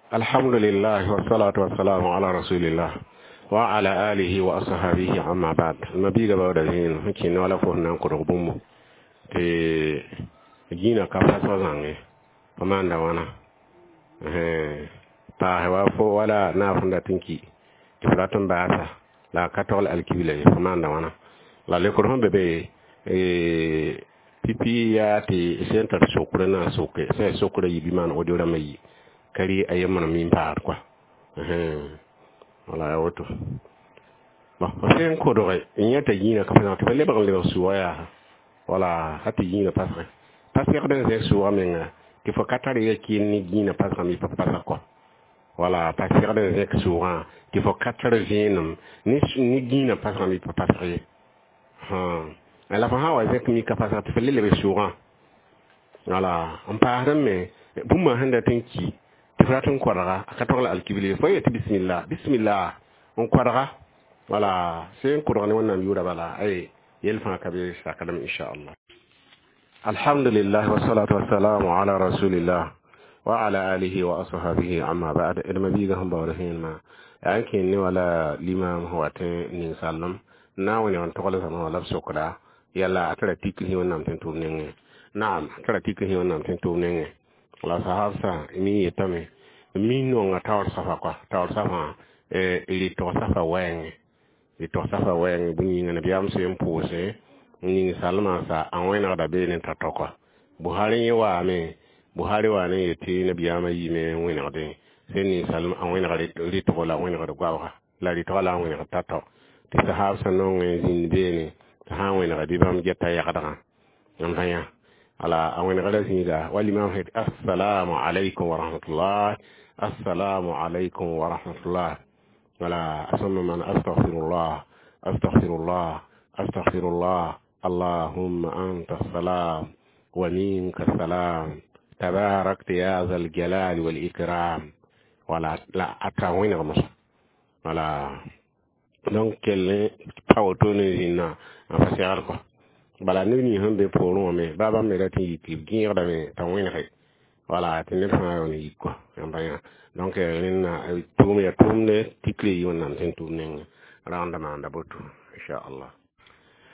Alhamdulillah wassalatu wassalamu ala rasulillah wa ala alihi wa ashabihi, amma ba'd. Mabiga bawda zĩig sẽn kẽnd wala fo sẽn na n kodg bũmbu tɩ gĩinã ka pasg zãnge fo maanda wãna paase wa fo wala naaf sẽn dat n ki tɩ fo rat n baasa la a ka togl alkibla ye, fo maanda wãna la lekr sẽn be be pipi yaa tɩ sẽn tar sokre na soke sẽn sokra yi bɩ maan audio rãmbã yi ka rɩ a yembr min paad kɔa. Wala ya woto. Bon, f sẽn kodge n yã t'a yĩinã ka pa tɩ fa lebg n lebg sʋʋga yaa wala a tɩ yĩinã pasge pa segd n zẽk sʋʋga menga tɩ fo ka tar ya kɩɩn ne yĩinã pasgame pa pasg kɔ. Wala pa segd n zẽk sʋʋgã tɩ fo ka tar vẽenem ne yĩinã pasgame pa pasg ye. La fo sã n wa zẽk mika pasg tɩ fo le leb sʋʋgã wala n paasd me bũmba sẽn dat n ki tɩ fo rat n kodga a ka togl alkibl fo yetɩ bisimilla bisimilla n kodga wala sẽn kodg ne Wẽnnaam yʋʋra bala ay yel fãa ka be sakdame, inchallah. Alhamdulillah wassalatu wassalamu ala rasulillah wa ala alihi wa ashabihi, amma ba'd. D mabiiga sẽn baood vẽenemã yaa n kẽnd ne wala limam sẽn wat n ninsalem na n wẽneg n togl zãma wã la b sokda yala a tara tikl Wẽnnaam tẽn tʋʋm nengẽ. Naam, a tara tikl Wẽnnaam tẽn tʋʋm nengẽ. La sahabsã mi yetame mi nonga taoor safa kɔa taoor safã rɩtg safa wɛɛngẽ rɩtg safa wɛɛngẽ bũmb yĩnga nabiyaam sẽn pʋʋse n ning salmã sa a wẽnegda beene t'a tao kɔa. Buhari yẽ waame Buhari wa ne yetɩ nabiyaamã yiime n wẽnegdẽ sẽn ning salm a wẽneg rɩtgo la wẽnegd goabga la rɩtga la a wẽnegd t'a tao tɩ sahabsã nong n zĩnd beene tɩ sã n wẽnega bɩ bãmb geta yagdgã n vã yã ala a wẽnegra zĩiga wa limam sẽn assalamu alaikum wa rahmatullah, assalamu alaikum wa rahmatullah, wala a sõma man astaghfirullah, astaghfirullah, astaghfirullah, allahumma anta salam wa minka salam, tabarakta ya zal jalali wal ikram. Wala la a ta wẽneg mosa wala. Donc kell pa woto ne zĩnna n fa segd kɔ bala neb nins sẽn be poorẽ wã me baa bãmb me rat n yik b gẽegdame t'a wẽnege wala tɩ ned fãa yaool n yik kɔ yãmba yã. Donc rẽnna tʋʋm ya tʋʋmde tikle yi Wẽnnaam sẽn tʋʋm nengẽ rãanda maanda boto, inchallah.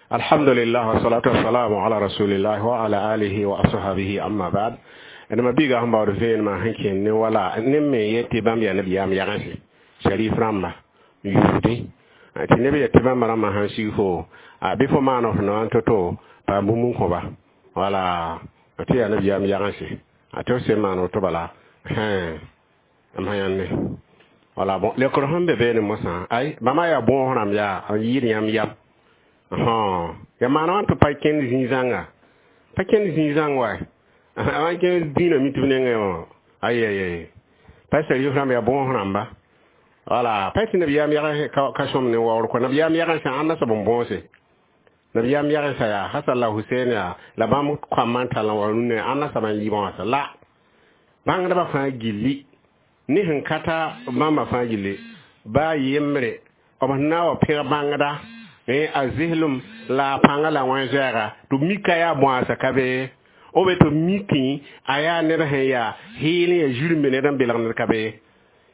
Alhamdulillah wassalatu wassalamu ala rasulillah wa ala alihi wa ashabihi, amma ba'd. D mabiiga sẽn baood vẽenemã sẽn kẽnd ne wala neb me yet tɩ bãmb yaa nabiyaam yagensẽ sharif rãmba n yusdẽ tɩ neb yet tɩ bãmba rãmbã sãn sig fo bɩ fo maan f noã n to-to paam bũmb n kõba wala tɩ yaa nabiyaam yagensẽ a tɩ f sẽn maan woto bala m sã yãnde wala. Bon, lekr sẽn be beene mosã ay bãmba yaa bõos rãmb yaa n yɩɩd yãmb yam ya maan wã tɩ pa kẽnd zĩig-zãnga pa kẽnd zĩig-zãng wa a kẽnd dĩinã mi tɩ b nengẽ wã ay ay ay pa sharif rãmb yaa bõos rãmba wala pa tɩ nabiyaam yag ka sõm ne waoor kɔ nabiyaam yagensã ãnda soab n bõose nabiyaam yagensã yaa Hasan la Husein yaa la bãmb koamã n tall n wa rũnnã ãnda soab n yɩ bõasa la bãngdbã fãa gilli ne sẽn ka ta bãmba fãa gilli baa yembre b sẽn na n wa pẽg bãngda a zɩslem la a pãnga la wẽn zoɛɛga tɩ b mika yaa bõasa ka be o be tɩ b mikẽ a yaa ned sẽn yaa heel n yaa zirẽmbe ned n belg ned ka be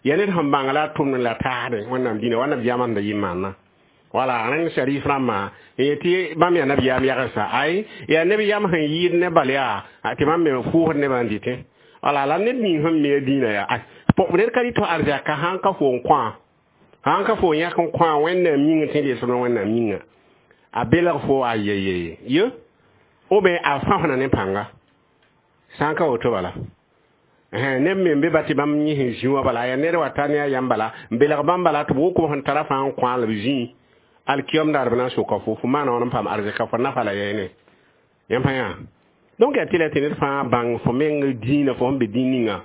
yaa ned sẽn bãng la a tʋmd la taasdẽ Wẽnnaam dĩnã wa nabiyaamã sẽn da yɩ maanã wala rẽng sharif rãmbã n yetɩ bãmb yaa nabiyaam yagensa ay yaa neb yam sẽn yɩɩd ne bal yaa tɩ bãmb me pʋʋsd nebã n dɩtẽ wala la ned ning sẽn me a dĩinã yaa ned ka rɩ tɩ arzɛka sãn ka fo n kõ sãn ka fo yãk n kõ Wẽnnaam yĩngã tẽ lesd Wẽnnaam yĩnga a belg fo a yeyeye ye ou bien a fãsna ne pãnga sã n ka woto bala neb me n be ba tɩ bãmb yẽ sẽn zĩ wã bala yaa ned wa ta ne a yam bala n belg bãmb bala tɩ b wʋk sẽn tara fãa n kõ la b zĩ alkiyom daar b na n soka fo fo maana wãn n paam arzɛka fo nafa la yɛɛne yãmb fã yã. Donc yaa tɩ la tɩ ned fãa bãng fo meng dĩinã fo sẽn be dĩin ninga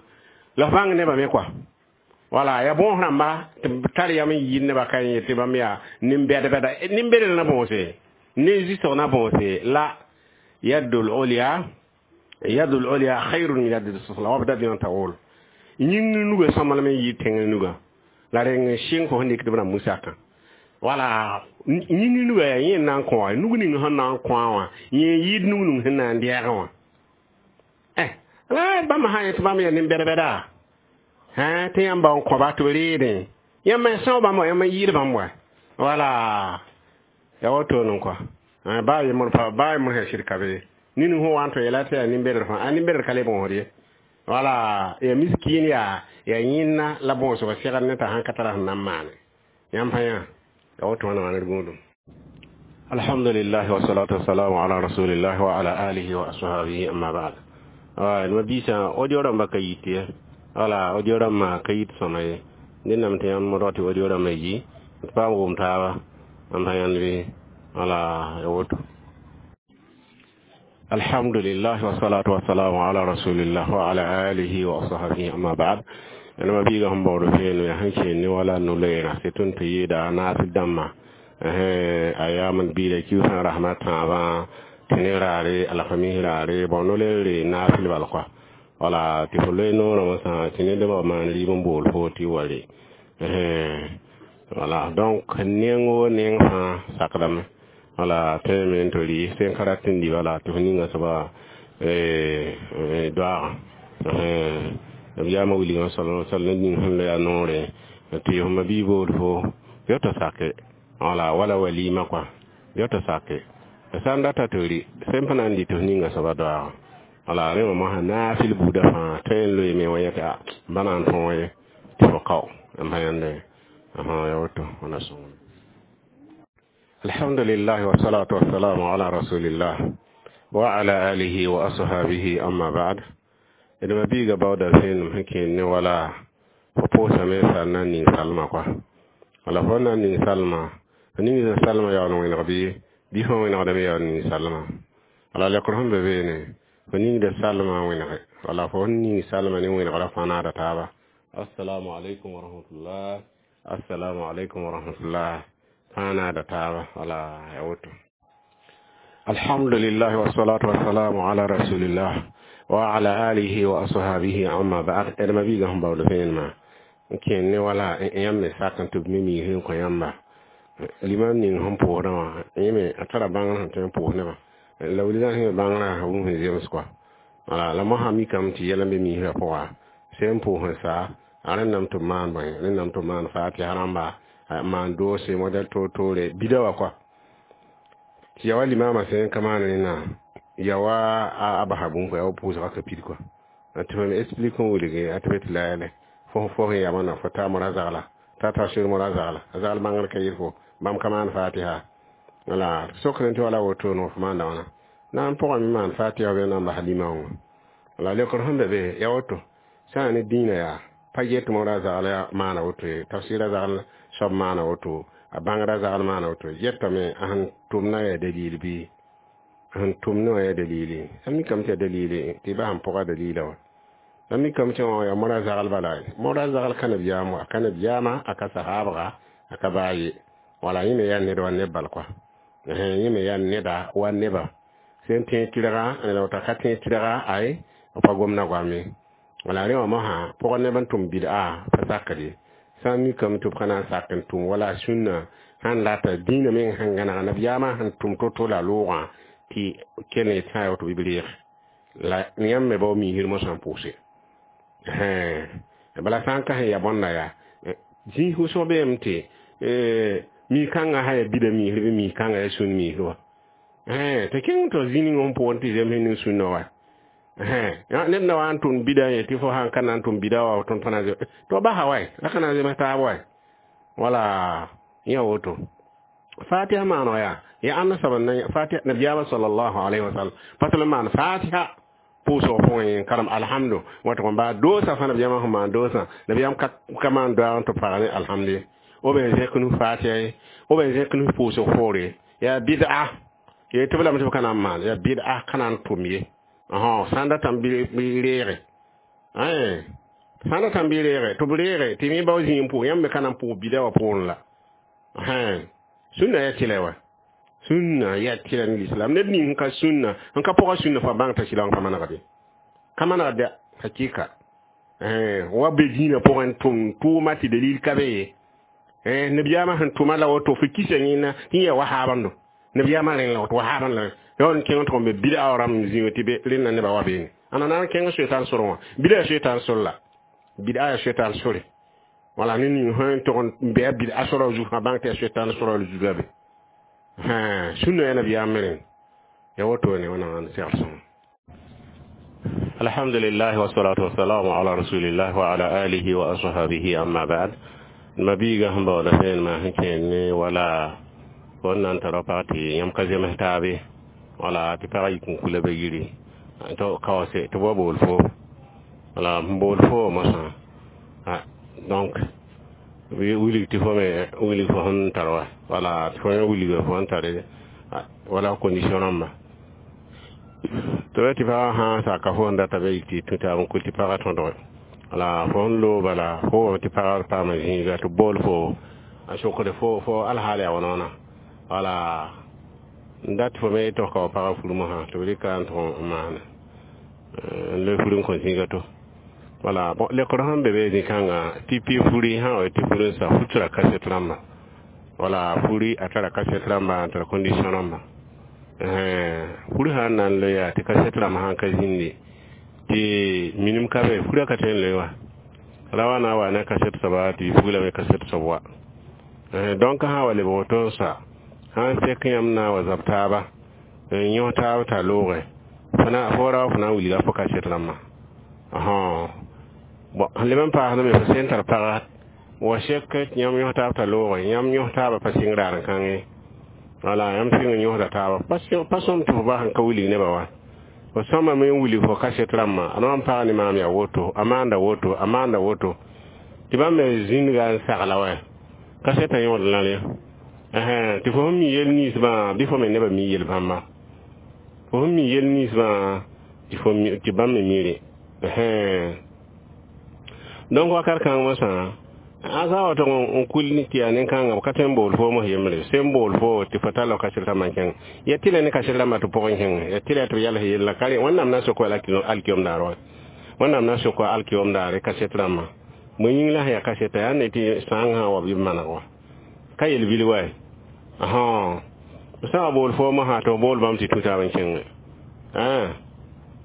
la f bãng nebã me kɔa wala ya bõos rãmba tɩ b tar yam n yɩɩd nebã ka yẽ tɩ bãmb yaa nin-bɛd-bɛda nin-bɛdr na bõose ne zɩsg na bõose la yadul ulya yadul ulya khairun min yadil sufla wabda bima taqul yĩng nuga sõmblem n yɩɩd tẽng nuga la reng sɩng fo sẽn dɩk tɩ b rãmb musakã wala yĩng nuga yaa yẽ n na n kõ wã nug ning sẽn na n kõ wã yẽ yɩɩd nug ning sẽn na n dɛɛgẽ wã la bãmb sã yẽ tɩ bãmb yaa nin-bɛd-bɛda. Hã tɩ yãmb ba n kõba tɩ b reedẽ yãmb n são bãmb wa yãmb n yɩɩd bãmb wa wala ya woto n kɔa baa yembr pa baa yembr sẽn sɩd ka be nin sẽn wa n tɩ yeela tɩ yaa nin-bɛdr fãa a nin-bɛdr ka le bõosd ye wala ya miskin yaa ya yẽnna la bõosg segd ne t'a sãn ka tara sẽn na n maane yãmb fã yã ya woto wãna wã d gũudum. Alhamdulillah wassalatu wassalamu ala rasulillah wa ala alihi wa ashabihi, amma ba'd. Ma biisã audio rãmbã ka yit ye wala audio rãmbã ka yit sõma ye ned nam tɩ yãmb rao tɩ audio rãmbã yi d paam wʋm taaba n pa yãnd bɩ wala ya woto. Alhamdulillah wassalatu wassalamu ala rasulillah wa ala alihi wa ashabihi, amma ba'd. Ma biiga sẽn baood feen yaa sẽn kẽen ne wala no-loeera sɩ tõnd tɩ yeeda naasd dãmbã a yaam biida kiusã rasmã tãabã tɩ ne raare alhamis raare bon no-loeer naafɩl bal kɔa wala tɩ fo loe noorã wã sã tɩ ned ba maan rɩɩb n bool fo tɩ wa re wala. Donc neng o neng fãa sakdame wala tõeme n tɩ rɩ sẽn ka rat n dɩ bala tɩ fo ninga soaba doaagã nabiyaamã wilgã sal sal ne ning sẽn loe a noore tɩ f ma bii bool fo yo tɩ sake wala wala walima kɔa yo tɩ sake sã n data tɩ rɩ sẽn pa na n dɩ tɩ f ninga soaba doaagã wala rẽ wã mosã naafɩl buudã fãa tõe n loeeme wã yẽ tɩ a ba na n tõog ye tɩ fo kao n pa yãnde ya woto wãna sõngame. Alhamdulillah wassalatu wassalamu ala rasulillah wa ala alihi wa ashabihi, amma ba'd. D ma biiga baooda vẽenem sẽn kẽen ne wala fo pʋʋsame sal na n ning salma kɔa wala fo na n ning salma fo ning salma yaool n wẽneg bɩ bɩ fõ wẽnegdame yaool n ning salma wala lekr sẽn be beene fo ningda salma wẽnege wala fo ning salma ne wẽnegrã fãa naada taaba. Assalamu alaikum wa rahmatullah, assalamu alaikum wa rahmatullah fãa naada taaba wala ya woto. Alhamdulillah wassalatu wassalamu ala rasulillah wa ala alihi wa ashabihi, amma ba'd. D ma biiga sẽn baood vẽenemã n kẽen ne wala yãmb me sak n tɩ b me miis n kõ yãmba limam ning sẽn pʋʋsdã wã yẽ me a tara bãngr sẽn tõe n pʋʋs nebã la wilgã sẽn bãngrã wʋm sẽn zems kɔa wala la mosã mikame tɩ yɛl n be miisrã pʋga sẽn pʋʋs n sa a rẽndame tɩ b maan bõe rẽndame tɩ b maan fatiha rãmba maan doose modɛl toor-toore bida wa kɔa tɩ ya wa limamã sẽn ka maan rẽnna ya wa a basa bũmb kɔa ya wa pʋʋsgã ka pid kɔa tɩ fo me explique n wilge a tɩ be tɩ la yɛlɛ fo fo sẽn yamã na fo taa mora zagla t'a tafsir mora zagla a zagl bãngr ka yɩl fo bãmb ka maan fatiha wala sokr tɩ wala woto no fo maanda wãna na n pʋgame maan fatiha bɩ na n bas lima wã wala lekr sẽn be be ya woto sã ne dĩinã yaa pa get mora zagl maana woto ye tafsɩra zagl soab maana woto a bãngrã zagl maana woto yetame a sẽn tʋmna yaa dalil bɩ a sẽn tʋmne wã yaa dalili a mikame tɩ yaa dalili tɩ ba sẽn pʋga dalila wã la mikame tɩ wã yaa mora zagl bala mora zagl ka nabiyaam wa ka nabiyaamã a ka sahaabga a ka baa ye wala yẽ me yaa ned wa neb bal kɔa yẽ me yaa neda wa neba sẽn tẽ tɩrga la wota ka tẽ tɩrga ay pa gomna goam ye wala rẽ wã mosã pʋgã neb n tʋm bɩd'a pa sakd ye sã n mikame tɩ b ka na n sak n tʋm wala sũnna sãn lata dĩinã meng sẽn gãneg nabiyaamã sẽn tʋm to-to la loogã tɩ kell n tã ya tɩ b reeg la yãmb me bao miisr mosã n pʋʋse bala sã n ka sẽn ya bõnda yaa zĩis wʋsg beeme tɩ mi-kãngã sã yaa bida miisr bɩ mi-kãngã yaa sũn miisr wa tɩ kẽng tɩ zĩ ning sẽn pʋgẽ tɩ zems ning sũnna wa ned na wa n tʋm bida ye tɩ fo sãn ka na n tʋm bida wa tõnd pa na tɩ basa wae la ka na n zems taab wae wala yã woto fatiha maano yaa ya ãnna soab n fatiha nabiyaamã sallallahu alaihi wasallam pa tɩ l maan fatiha pʋʋsg pʋgẽ karem alhamdu wat n baa doosa fãa nabiyaamã sẽn maan doosã nabiyaam ka maan doaag n tɩ pag ne alhamdu ye b n zẽk nus fatiha ye b n zẽk nus pʋʋsg poore yaa bid'a ye tɩ b lame tɩ b ka na n maan yaa bid'a ka na n tʋm ye sã n datame bɩ reege sã n datame bɩ reege tɩ b reege tɩ me bao zĩig n pʋʋs yãmb me ka na n pʋʋs bida wã poorẽ la sũnna yaa tɩlɛ wa sũnna yaa tɩlɛ ne l'islam ned ning sẽn ka sũnna sẽn ka pʋga sũnna fo bãng t'a sɩlg pa manegde ka manegda hakika wa be dĩinã pʋgẽ tʋm tʋʋma tɩ dalil ka be ye nabiyaamã sẽn tʋma la woto fo kisa yẽnna tɩ yaa wa haabando nabiyaamã rẽn la woto wa haaban la yon kẽng tɩ be bid'a rãmb zĩig tɩ be rẽnna nebã wa beene ãna na n kẽng soetan sor wã bida soetan sor la Bid'a yaa soetan sore. Wala ned ning sẽn tog n bɩ a bid'a sora zug fãa bãng tɩ yaa soetan sora zug la be. Sũnna yaa nabiyaam me rẽnd. Ya wotone wẽnnaam n segl sõngo. Alhamdulillah wa salatu wa salamu ala rasulillah wa ala alihi wa ashabihi, amma ba'd. Ma biiga sẽn baooda vẽenemã sẽn kẽed ne wala fo n na n tara pag tɩ yãmb ka zems taabe, wala tɩ pagã yik n kula ba yiri to kaoose tɩ b wa bool fo, wala n bool fo mosã. Donc wilg tɩ fo me wilg fo sẽn tar wa, wala tɩ fo me wilga fo sẽn tare, wala condition rãmba tɩ tɩ pagã sã n saka fo sẽn data be yik tɩ tũ taab n kul tɩ pagã tõdge, wala fo sẽn loog bala fo tɩ pagã paama zĩiga tɩ bool fo a sokd fo fo alhaal yaa wãna, wala n dat fo me tɩ f ka wa pagã fur mosã tɩ b rɩka n tʋg n maana n loe fur n kõ zĩiga to. Wala bon, lekr sẽn be be zĩ-kãngã tɩ pi furi sã wa tɩ fur n sa fu tara kaset rãmba, wala furi a tara kaset rãmba n tara condition rãmba. Furi sã n na n loe yaa tɩ kaset rãmb sã n ka zĩndi tɩ minim ka be, furã ka tõe n loe wa ra wa na wa ne kaset soaba tɩ fugla me kaset soab wa. Donc sã wa lebg woto n sa sãn sek yãmb na wa zab taaba n yõs taab t'a looge fo ra wa fo na n wilga fo kaset rãmbã. Bon, sẽn leb n paasdame me fo sẽn tar paga wa sek tɩ yãmb yõs taab t'a looge, yãmb yõs taabã pa sɩng raar n kãngẽ, wala yãmb sɩng n yõsda taaba pa sõm tɩ fo bas n ka wilg nebã wa fo sõma me n wilg fo kaset rãmbã a n pag ne maam yaa woto, a maanda woto, a maanda woto, tɩ bãmb me zĩndga n sagla wa kasetã yõod la rẽ tɩ fo sẽn mi yel ninsbã bɩ fo me nebã mi yel bãmba, fo sẽn mi yel ninsbã tɩ bãmb me mi rẽ. Donc wakat kãng mosã a sã wa tog n kul tɩ yaa nin-kãngã b ka tõe n bool fo mos yembre sẽn bool fo tɩ fo tall kaset rãmbã n kẽng ya tɩ la ne kaset rãmbã tɩ pʋgẽ kẽng ya tɩ la tɩ b yals yella ka rẽ. Wẽnnaam na n sok alkiyom daar wa, Wẽnnaam na n sok alkiyom daare kaset rãmbã bõe yĩng la sẽn yaa kaseta yaa ne tɩ sãang sã wa bɩ b maneg wa ka yel vil wa. Sã wa bool fo mosã tɩ f bool bãmb tɩ tũ taab n kẽngẽ,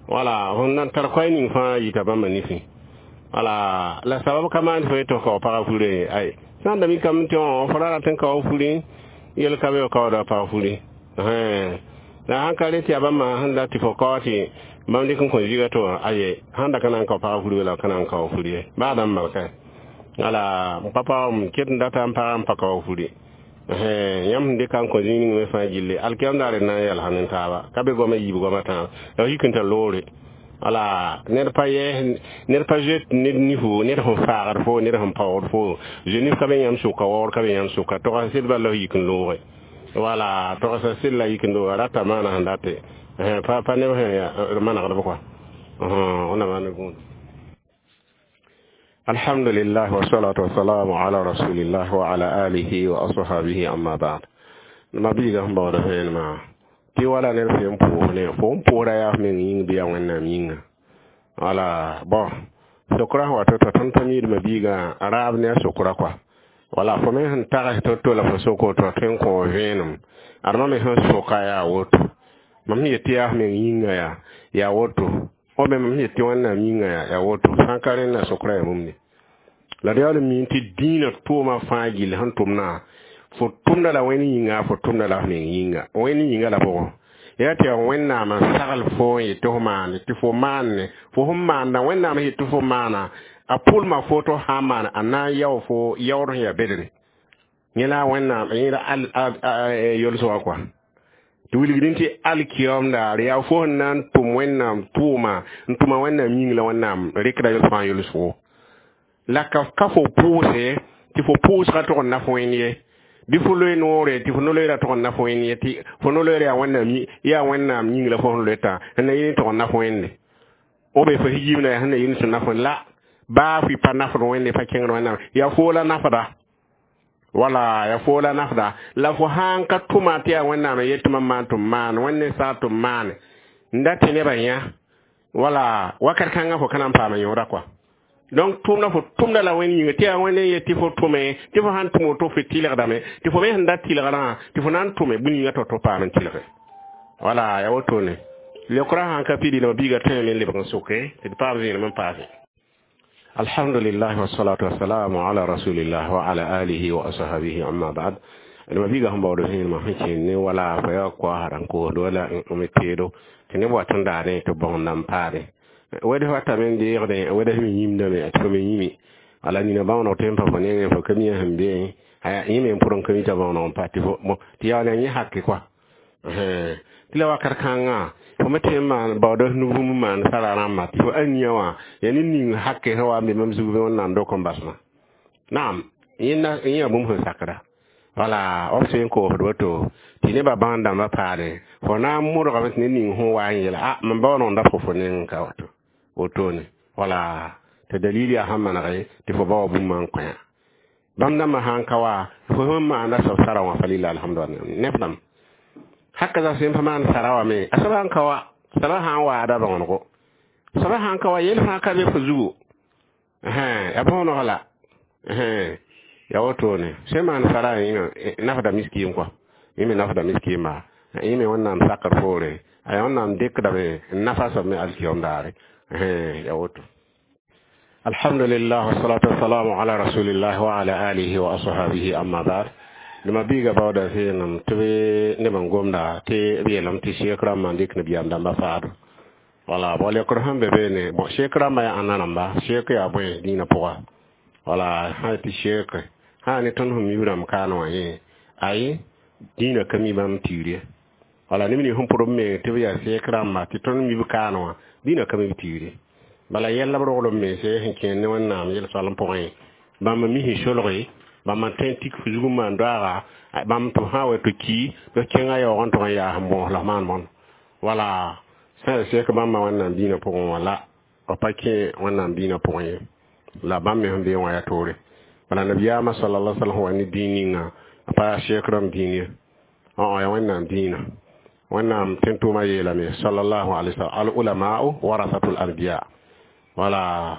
wala fõn na n tar koɛɛ ning fãa yita bãmba nifẽ, wala la sabab ka maan fo tɩ f ka wa pagã furẽ ay sã n da mikame tɩ fo ra rat n ka wa furẽ yel ka be f kaooda pag furẽ. La sãn ka re tɩ yaa bãmba sẽn dat tɩ fo kao tɩ bãmb dɩk n kõ ziga to aye sãn da ka na n kao pagã furi wala ka na n kao furi ye baa dãmb malka, wala m pa paoom ket n data n pagã n pa kao furi. Yãmb sẽn dɩka n kõ zĩig ning me fãa gilli alkiyam daare na n yɛlsa ne taaba ka be goamã yiib goamã tãab la yik n tar loore, wala ned pa yɛɛs, ned pa zoet ned nifu, ned sẽn faagd fo, ned sẽn paood fo zoe nif ka be yãmb sʋka, waoor ka be yãmb sʋka togsa sed bala f yik n looge, wala togsa sed la yik n looge rata maana sẽn date pa neb sẽn manegdb kɔa wẽnnaam maan gũud. Alhamdulillah wa salatu wa salamu ala rasulillah wa ala alihi wa ashabihi, amma ba'd. Ma biiga sẽn baooda vẽenemã tɩ wala ned fo n pʋʋs ne fo n pʋʋsda yaa f meng yĩng bɩ yaa Wẽnnaam yĩnga, wala bon sokra sẽn wa to-to tõnd pa miidmã biigã raab ne a sokra kɔa, wala fo me sẽn tags to-to la fo sok woto tõe n kõ vẽenem adma me sẽn soka yaa woto mam sẽn yet tɩ yaa f meng yĩnga yaa woto o me mam sẽn yet tɩ Wẽnnaam yĩnga yaa woto sã n ka rẽnda sokra yaa bũmb ne la d yaool n mi tɩ dĩinã tʋʋmã fãa gill sẽn tʋmdã fo tʋmda la Wẽnd yĩnga, fo tʋmda la f meng yĩnga. Wẽnd yĩnga la pʋgẽ yaa tɩ yaa Wẽnnaam n sagl fo n yet tɩ fo maande tɩ fo maanne fo sẽn maanda Wẽnnaam sẽn yet tɩ fo maana a pʋlma fo tɩ f sã n maana a na n yao fo yaood sẽn yaa bedre yẽ la Wẽnnaam yẽ la yolsgã kɔa tɩ wilgdẽ tɩ alkiyom daar yaa fo sẽn na n tʋm Wẽnnaam tʋʋma n tʋma Wẽnnaam yĩng la Wẽnnaam rɩkda yels fãa yolsgo la ka fo pʋʋse tɩ fo pʋʋsgã tʋg n na fo wẽnd ye bɩ fo loe noore tɩ fo no-loeera tʋg n na fo wẽnd ye tɩ fo no-loeera yaa Wẽnnaam yĩng la fo sẽn loetã sẽn na yɩl tʋg n na fo wẽnde o be fo yiibna yaa sẽn na yɩl tɩ na fo la baa fɩ pa nafd Wẽnde pa kẽngd Wẽnnaam yaa foo la nafda, wala yaa foo la nafda la fo sãn ka tʋma tɩ yaa Wẽnnaam n yet tɩ mam maan tɩ m maan Wẽnd saa tɩ m maane n dat tɩ nebã yã, wala wakat kãngã fo ka na n paama yõoda kɔa. Donc tʋmda fo tʋmda la Wẽnd yĩnga tɩ yaa Wẽnd n yet tɩ fo tʋme tɩ fo sãn tʋm woto fo tɩlgdame tɩ fo me sẽn dat tɩlgrã tɩ fo na n tʋme bũmb yĩngã tao-tao paam n tɩlge, wala yaa wotone leokra sãn ka pidi la biiga tõe me n lebg n soke tɩ d paam vẽenem n paase. Alhamdulillah wassalatu wassalamu ala rasulillah wa ala alihi wa ashabihi, amma ba'd. Ma biiga sẽn baood vẽenemã sẽn kẽnd ne wala fa yaa koa sã n koosd wala n teedo tɩ neb wat n daadẽ tɩ bõng nan paade weds watame n deegdẽ weds me yĩmdame tɩ fo me yĩme wala nina bãonog tɩ n pa fo nengẽ fo ka mi sẽn beẽ yẽ me n pʋd n ka mi t'a bãonog n pa tɩ fo tɩ yaool yaa yẽ hake koa tɩ la wakat kãngã fo me tõe n maan baooda nu-bũmb maan sara rãmba tɩ fo aniya wã yaa ned ning hake sẽn wa n be mam zug bɩ Wẽnnaam dok n basmã naam yẽnda yẽ yaa bũmb sẽn sakda wala b sẽn koosd woto tɩ nebã bãng dãmbã paane fo na n modgame tɩ ned ning sẽn wa n yeela a mam baooneg da fo fo neng ka woto wotone wala tɩ dalil yaa sẽn manege tɩ fo ba wa bũmb n kõ bãmb dãmbã sãn ka wa fo sẽn maanda soab sara wã fa lila alhamdu neb dãmb hakaza sẽn pa maan sara wã me a soaba sãn ka wa soaba sã n waada bãonego soaba sãn ka wa yel fãa ka be fo zugu ya bãoneg la ya wotone sẽn maan sara yĩnga nafda miskiim kɔa yẽ me nafda miskiima yẽ me Wẽnnaam sakr poore a yaa Wẽnnaam dɩkdame n nafa soab me alkiyom daare ya woto. Alhamdulillah wassalatu wassalamu ala rasulillah wa ala alihi wa ashabihi, amma ba'd. Nima biiga baooda vẽenem tɩ b neb n gomda tɩ b yeelame tɩ sek rãmbã n dɩk nabiyaam dãmbã faado wala bõ lekr sẽn be beene bõ sek rãmbã yaa ãnna rãmba sek yaa bõe dĩinã pʋga wala sã tɩ sek sã ne tõnd sẽn mi rãmb kaan wã yẽ ayi dĩinã ka mi bãmb tiir ye wala neb nins sẽn pʋd b meng tɩ b yaa sek rãmba tɩ tõnd mi b kaan wã dĩinã ka mi b tiir ye bala yɛlla b roglem mense sẽn kẽer ne Wẽnnaam yel-soalem pʋgẽ bãmb mi sẽn solge bãmb n tõe n tik fo zug n maan doaaga bãmb tɩ sã wa tɩ ki tɩ kẽngã yaoog n tʋg n yaa sẽn bõos la f maan bõn wala sã yaa sek bãmba Wẽnnaam dĩinã pʋgẽ wã la b pa kẽ Wẽnnaam dĩinã pʋgẽ ye la bãmb me sẽn bee wã yaa toore bala nabiyaamã sallallahu alaihi wasallam wa ne dĩin ninga a pa yaa sek rãmb dĩin ye yaa Wẽnnaam dĩinã Wẽnnaam tẽn-tʋʋmã yeelame sallallahu alaihi wasallam al ulama'u warasatul anbiya wala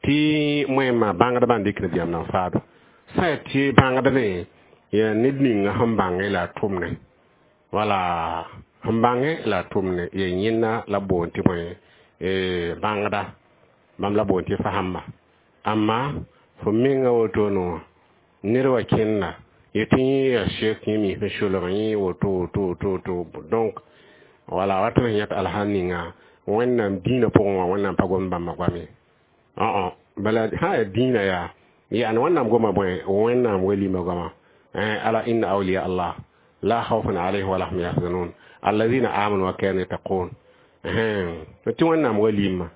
tɩ moẽmã bãngdbã n dɩk nabiyaam nan faado sã yaa tɩ bãngd ne yaa ned ninga sẽn bãnge la a tʋmne wala sẽn bãnge la a tʋmne yaa yẽnna la boond tɩ bõe bãngda bãmb la boond tɩ fasãmba amma fo menga wotone wã ned wa kẽnda yetɩ yẽ yaa sek yẽ mi sẽn solg yẽ woto woto woto woto donc wala wat sẽn yãt alsã ninga Wẽnnaam dĩinã pʋgẽ wã Wẽnnaam pa gom bãmba goam ye bala sã yaa dĩinã yaa yani Wẽnnaam goma bõe Wẽnnaam walima goama ala inna awliya Allah la khawfun alayhim wala hum yahzanun alladhina amanu wa kanu yattaqun tɩ Wẽnnaam walima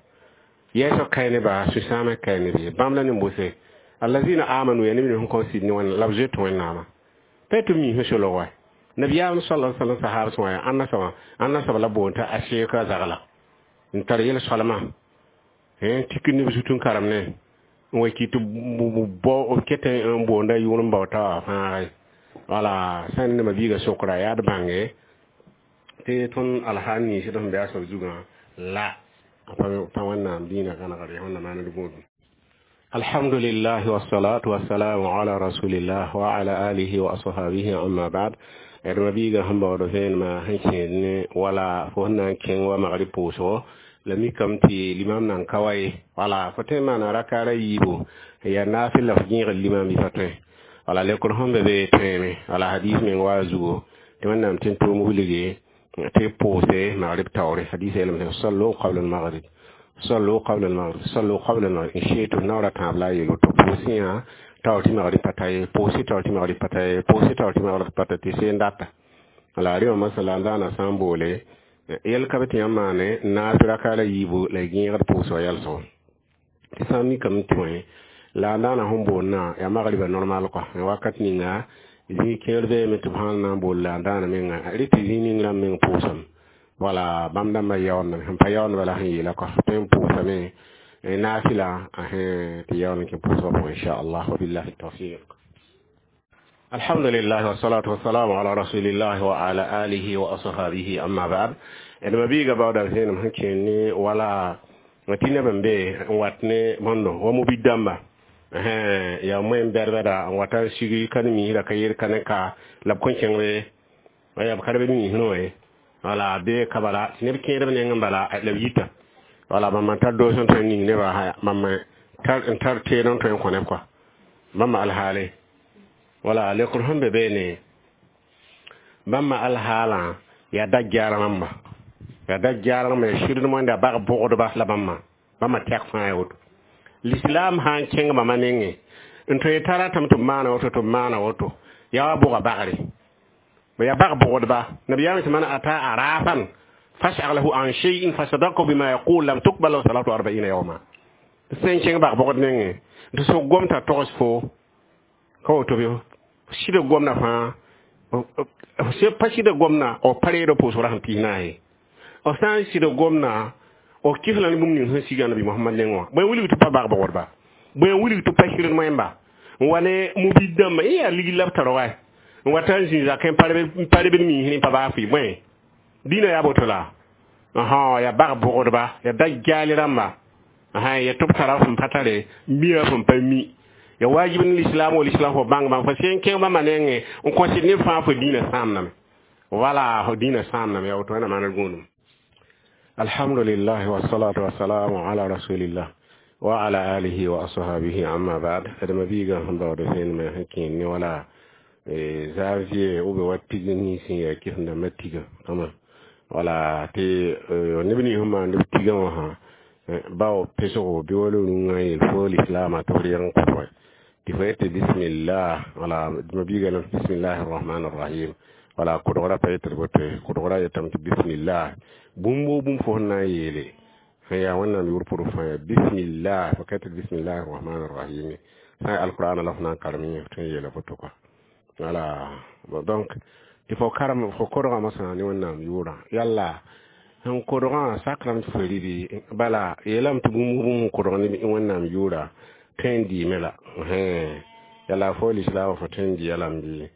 yɛɛsg kae neba sũ-sãamã kae neb ye bãmb la nin-bʋse alladhina amanu ya neb sẽn kõn sɩd ne Wẽnnaam la b zoet Wẽnnaamã pa tɩ mi sẽn solg wa nabiyaam sallallahu alaihi wasallam sahab sã wã ãnna soaba ãnna soab la boond t'a a zagla n tar yel-soalmã n tik neb zut n karem ne n wa kɩ tɩ bao ket n boonda yʋʋr n bao t'a fãagre wala sã n nema biiga sokra yaa d bãnge tɩ tõnd alhaal ninsd sẽn be a soab zugã la pa Wẽnnaam dĩinã gãnegre Wẽnnaam maand gũudum. Alhamdulillah wassalatu wassalamu ala rasulillah wa ala alihi wa ashabihi, amma ba'd. D mabiiga sẽn baood vẽenemã sẽn kẽed ne wala fo sẽn na n kẽng wa magrib pʋʋsgo la mikame tɩ limam nan ka wa ye wala fo tõe n maana rakaara yiibu yaa naafɩl la fo gẽegd limam bɩ fa tõe wala lekr sẽn be be tõeme wala hadis meng wa a zugo tɩ Wẽnnaam tẽn tʋʋm wilge tɩ pʋʋse magrib taoore hadis yeelame sallu qabla al-maghrib, sallu qabla al-maghrib, sallu qabla al-maghrib in shi'tum naoora tãab la a yeel woto pʋʋsẽ yã taoor tɩ magrib pa ta ye pʋʋsẽ taoor tɩ magrib pa ta ye pʋʋsẽ taoor tɩ magrib pa ta tɩ seen data la rɩ wã masala n daana sã n boole yɛl ka be tɩ yãmb maane naas raka la yiibu la y gẽegd pʋʋsgã yɛlsgo tɩ sã n mikame tɩ bõe la a daana sẽn boondã yaa magriba normal kɔa wakat ninga zĩig kẽer beeme tɩ b sãn na n bool la a daana menga rɩ tɩ zĩig ning rãmb meng pʋʋsame wala bãmb dãmbã yaoondame sẽn pa yaoond bala sẽn yeela kɔa tõe n pʋʋsame naafɩla tɩ yaool n kẽ pʋʋsgã pʋgẽ inchallah wa billahi tawfiq. Alhamdulillah wassalatu wassalamu ala rasulillah wa ala alihi wa ashabihi, amma ba'd. D mabiiga baooda vẽenem sẽn kẽer ne wala tɩ neb n be n wat ne bõndo wa mobid dãmba yaa moẽn bɛd-bɛda n wata n sig ka ne miisra ka yel ka ne ka la b kõn kẽngre yaa b ka b miisrẽ wã ye wala be ka bala tɩ neb kẽedb neng n bala la b yita wala bãmb n tar doos n tõe n ning nebã bãmb Tar n tar teed n tõe n kõ neb kɔa bãmba alhaale wala lekr sẽn be beene bãmba alhaalã yaa dajjaar rãmba yaa dajjaar rãmba yaa sɩdd wẽnda bag bʋgdba la bãmba bãmba tɛk fãa ya woto l'islam sã n kẽng bãmba nengẽ n tõe t'a ratame tɩ b maana woto tɩ b maana woto yaa wa bʋga bagre yaa bag bʋgdba nabiyaam tɩ man ata arafan fas'alahu an shay'in fasadaqahu bima yaqul lam tuqbal lahu salatu 40 yawma sẽn kẽng bag bʋgd nengẽ tɩ sog gom t'a togs fo ka woto bɩ sɩd gomda fãa pa sɩd gomda b pa reed pʋʋsg ra sẽn pis naase b sã n sɩd gomda b kɩs la ne bũmb ning sẽn siga nabi Mohamad nengẽ wã bõe wilg tɩ pa bag bʋgdba bõe wilg tɩ pa sɩd wẽmba n wa ne mubid dãmba ẽ yaa ligd la b tar wa n wa ta n zĩ zakẽ n pa rebd miisẽ pa baa fɩ bõe dĩinã yaa boto la yaa bag bʋgdba yaa dajjaal rãmba yaa tɩ b tara sẽn pa tare mia sẽn pa mi ya wajib ne l'islam wa l'islam fo bãng bãmb fo sẽn kẽng bãmba nengẽ n kõsd neb fãa fo dĩinã sãamdame wala fo dĩinã sãamdame yaa woto wẽnnaam maana gũudum alhamdulillah wassalatu wassalamu ala rasulillah wa ala alihi wa ashabihi amma ba'd adama biiga sẽn baood vẽenemã sẽn kẽen ne wala janvier ou bien wa tig nins sẽn yaa kɩsem-dãmbã tiga kama wala tɩ neb nins sẽn maan b tigã wã sã bao pesgo bɩ wala rũngã yel fo lislaamã tɩ f reg n kʋsge tɩ fo yetɩ bismillah wala ma biiga lame bismillahi rrahmani rrahim wala kʋdgra pa yetɩ d boto kʋdgra yetame tɩ bismillah bũmb woo bũmb fo sẽn na n yeele sẽn yaa wẽnnaam yʋʋr pʋgẽ fãa yaa bismillah fo ka tɩ bismillahi rrahmani rrahim sã n alqur'ana la fo na n karem yẽ tõe n yeela boto kɔa wala donc tɩ fo karem fo kodgã mosã ne wẽnnaam yʋʋrã yalla sẽn kodgã sakrame tɩ fo rɩ bala yeelame tɩ bũmb bũmb kodg ne wẽnnaam yʋʋra tõe n dɩɩme la yala fo lislaamã fo tõe n dɩ lame bɩ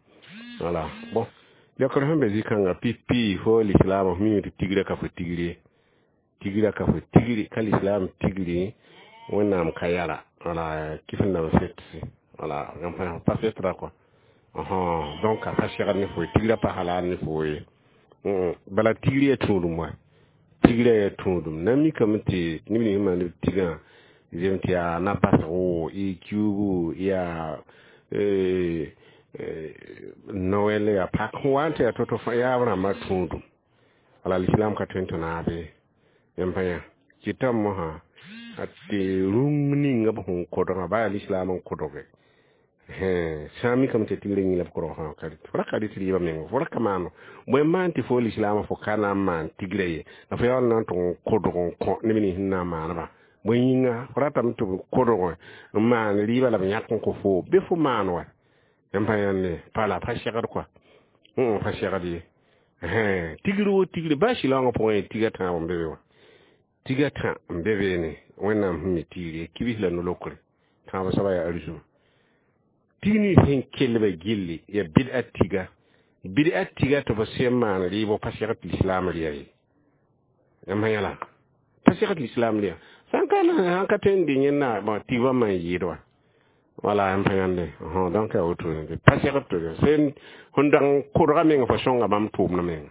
wala bon lekr sẽn be zĩ-kãngã pipi fo lislaamã f mime tɩ tigrã ka fo tigri ye tigrã ka fo tigri ka lislaam tigri wẽnnaam ka yara wala kɩsem-dãmb setse wala pa setra kɔa donc a pa segd ne fo ye tigrã pa halal ne fo ye bala tigri yaa tũudum wa tigrã yaa tũudum na mikame tɩ neb nins maan b tigã zem tɩ yaa na-basgo y kiuugu yaa Noël yaa pak sẽn wa n tɩ yaa to-to fãa yaa b rãmbã tũudum wala l'islam ka tõe n tɩ naabe yãmb pa yã kɩtame mosã tɩ rũng ninga b sẽn kodgã baa yaa l'islam n kodge sã n mikame tɩ tigrã yĩng la b kodg fãa fo ra ka rɩt rɩɩbã meng fo ra ka maan bõe maan tɩ fo l'islam fo ka na n maan tigrã ye la fo yaool na n tʋg n kodg n kõ neb nins sẽn na n maaneba bõe yĩnga fo ratame tɩ b kodg n maan rɩɩbã la b yãk n kõ fo bɩ fo maan wa yãmb pa yãnde pa la pa segd kɔa pa segd ye tigr wo tigre baa shɩlaoongã pʋgẽ tiga tãab n be be wã tiga tã n be beene wẽnnaam sẽn mi tigre kibis la no-lokre tãab soaba yaa arzuma tig nins sẽn kellbã gilli yaa bɩd'a tiga bɩd'a tiga tɩ b sẽn maan rɩɩbo pa segd tɩ lislaam rɩa ye yãmb sã yãla pa segd lislaam rɩa sãn ka tõe n dɩ yẽnna tigbã man yɩɩd wa wala yãmb pa yãnde donc yaa woto pa segd tɩ sẽn sẽn dag n kodga meng fo sõnga bãmb tʋʋmdã menga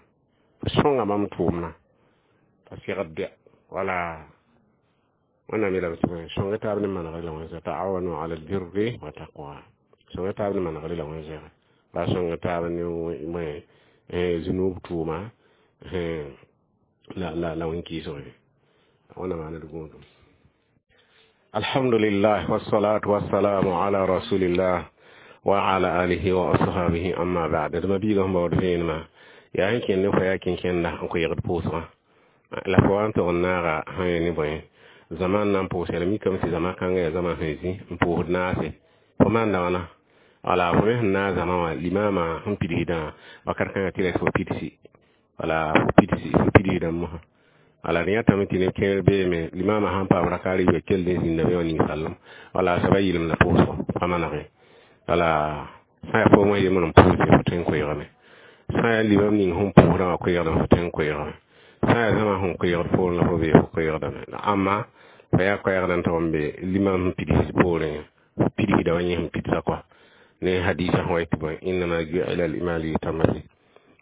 fo sõnga bãmb tʋʋmdã pa segd bɩa wala wẽnnaam yeelame tɩ sõnga taab ne manegre la wẽn taawanu ala albirri wa taqwa sõnga taab ne manegre la wẽn zɛge la sõnga taab ne zunub tʋʋma la wẽn kɩɩsg wẽnnaam maana d gũudum alhamdulillah wassalatu wassalamu ala rasulillah wa ala alihi wa ashabihi amma ba'd d ma biiga sẽn baood vẽenemã yaa sẽn kẽnd ne fo yaa kẽnkẽnda n kõ yegd pʋʋsgã la fo wa n tog n naaga sã yẽ ne bõe zaman na n pʋʋs la mikame tɩ zama kãngã yaa zama sẽn zĩ n pʋʋsd naase fo maanda wãna wala fo me sẽn naag zama wã limama sẽn pidsdã wakat kãngã tɩ ra fo pidsi wala fo pidsi fo pidsdã mosã wala d yãtame tɩ neb kẽer beeme limama sãn paam raka riiba kell n zĩnda be wã ninsaalem wala soaba yɩlem la pʋʋsgo pa manege wala sã yaa foom wã yembr n pʋʋsde fo tõe n koeegame sã yaa limam ning sẽn pʋʋsdã wã koeegdame fo tõe n koeegame sã yaa zãma sẽn koeegd poorẽ la fo bee fo koeegdame amma fa yaa koɛɛgd n tog n be limam sẽn pids poorẽ fo pidsda wã yẽ sẽn pidsa kɔa ne hadisa sẽn wa tɩ bõe innama ju'ila al-imam liyutamma bi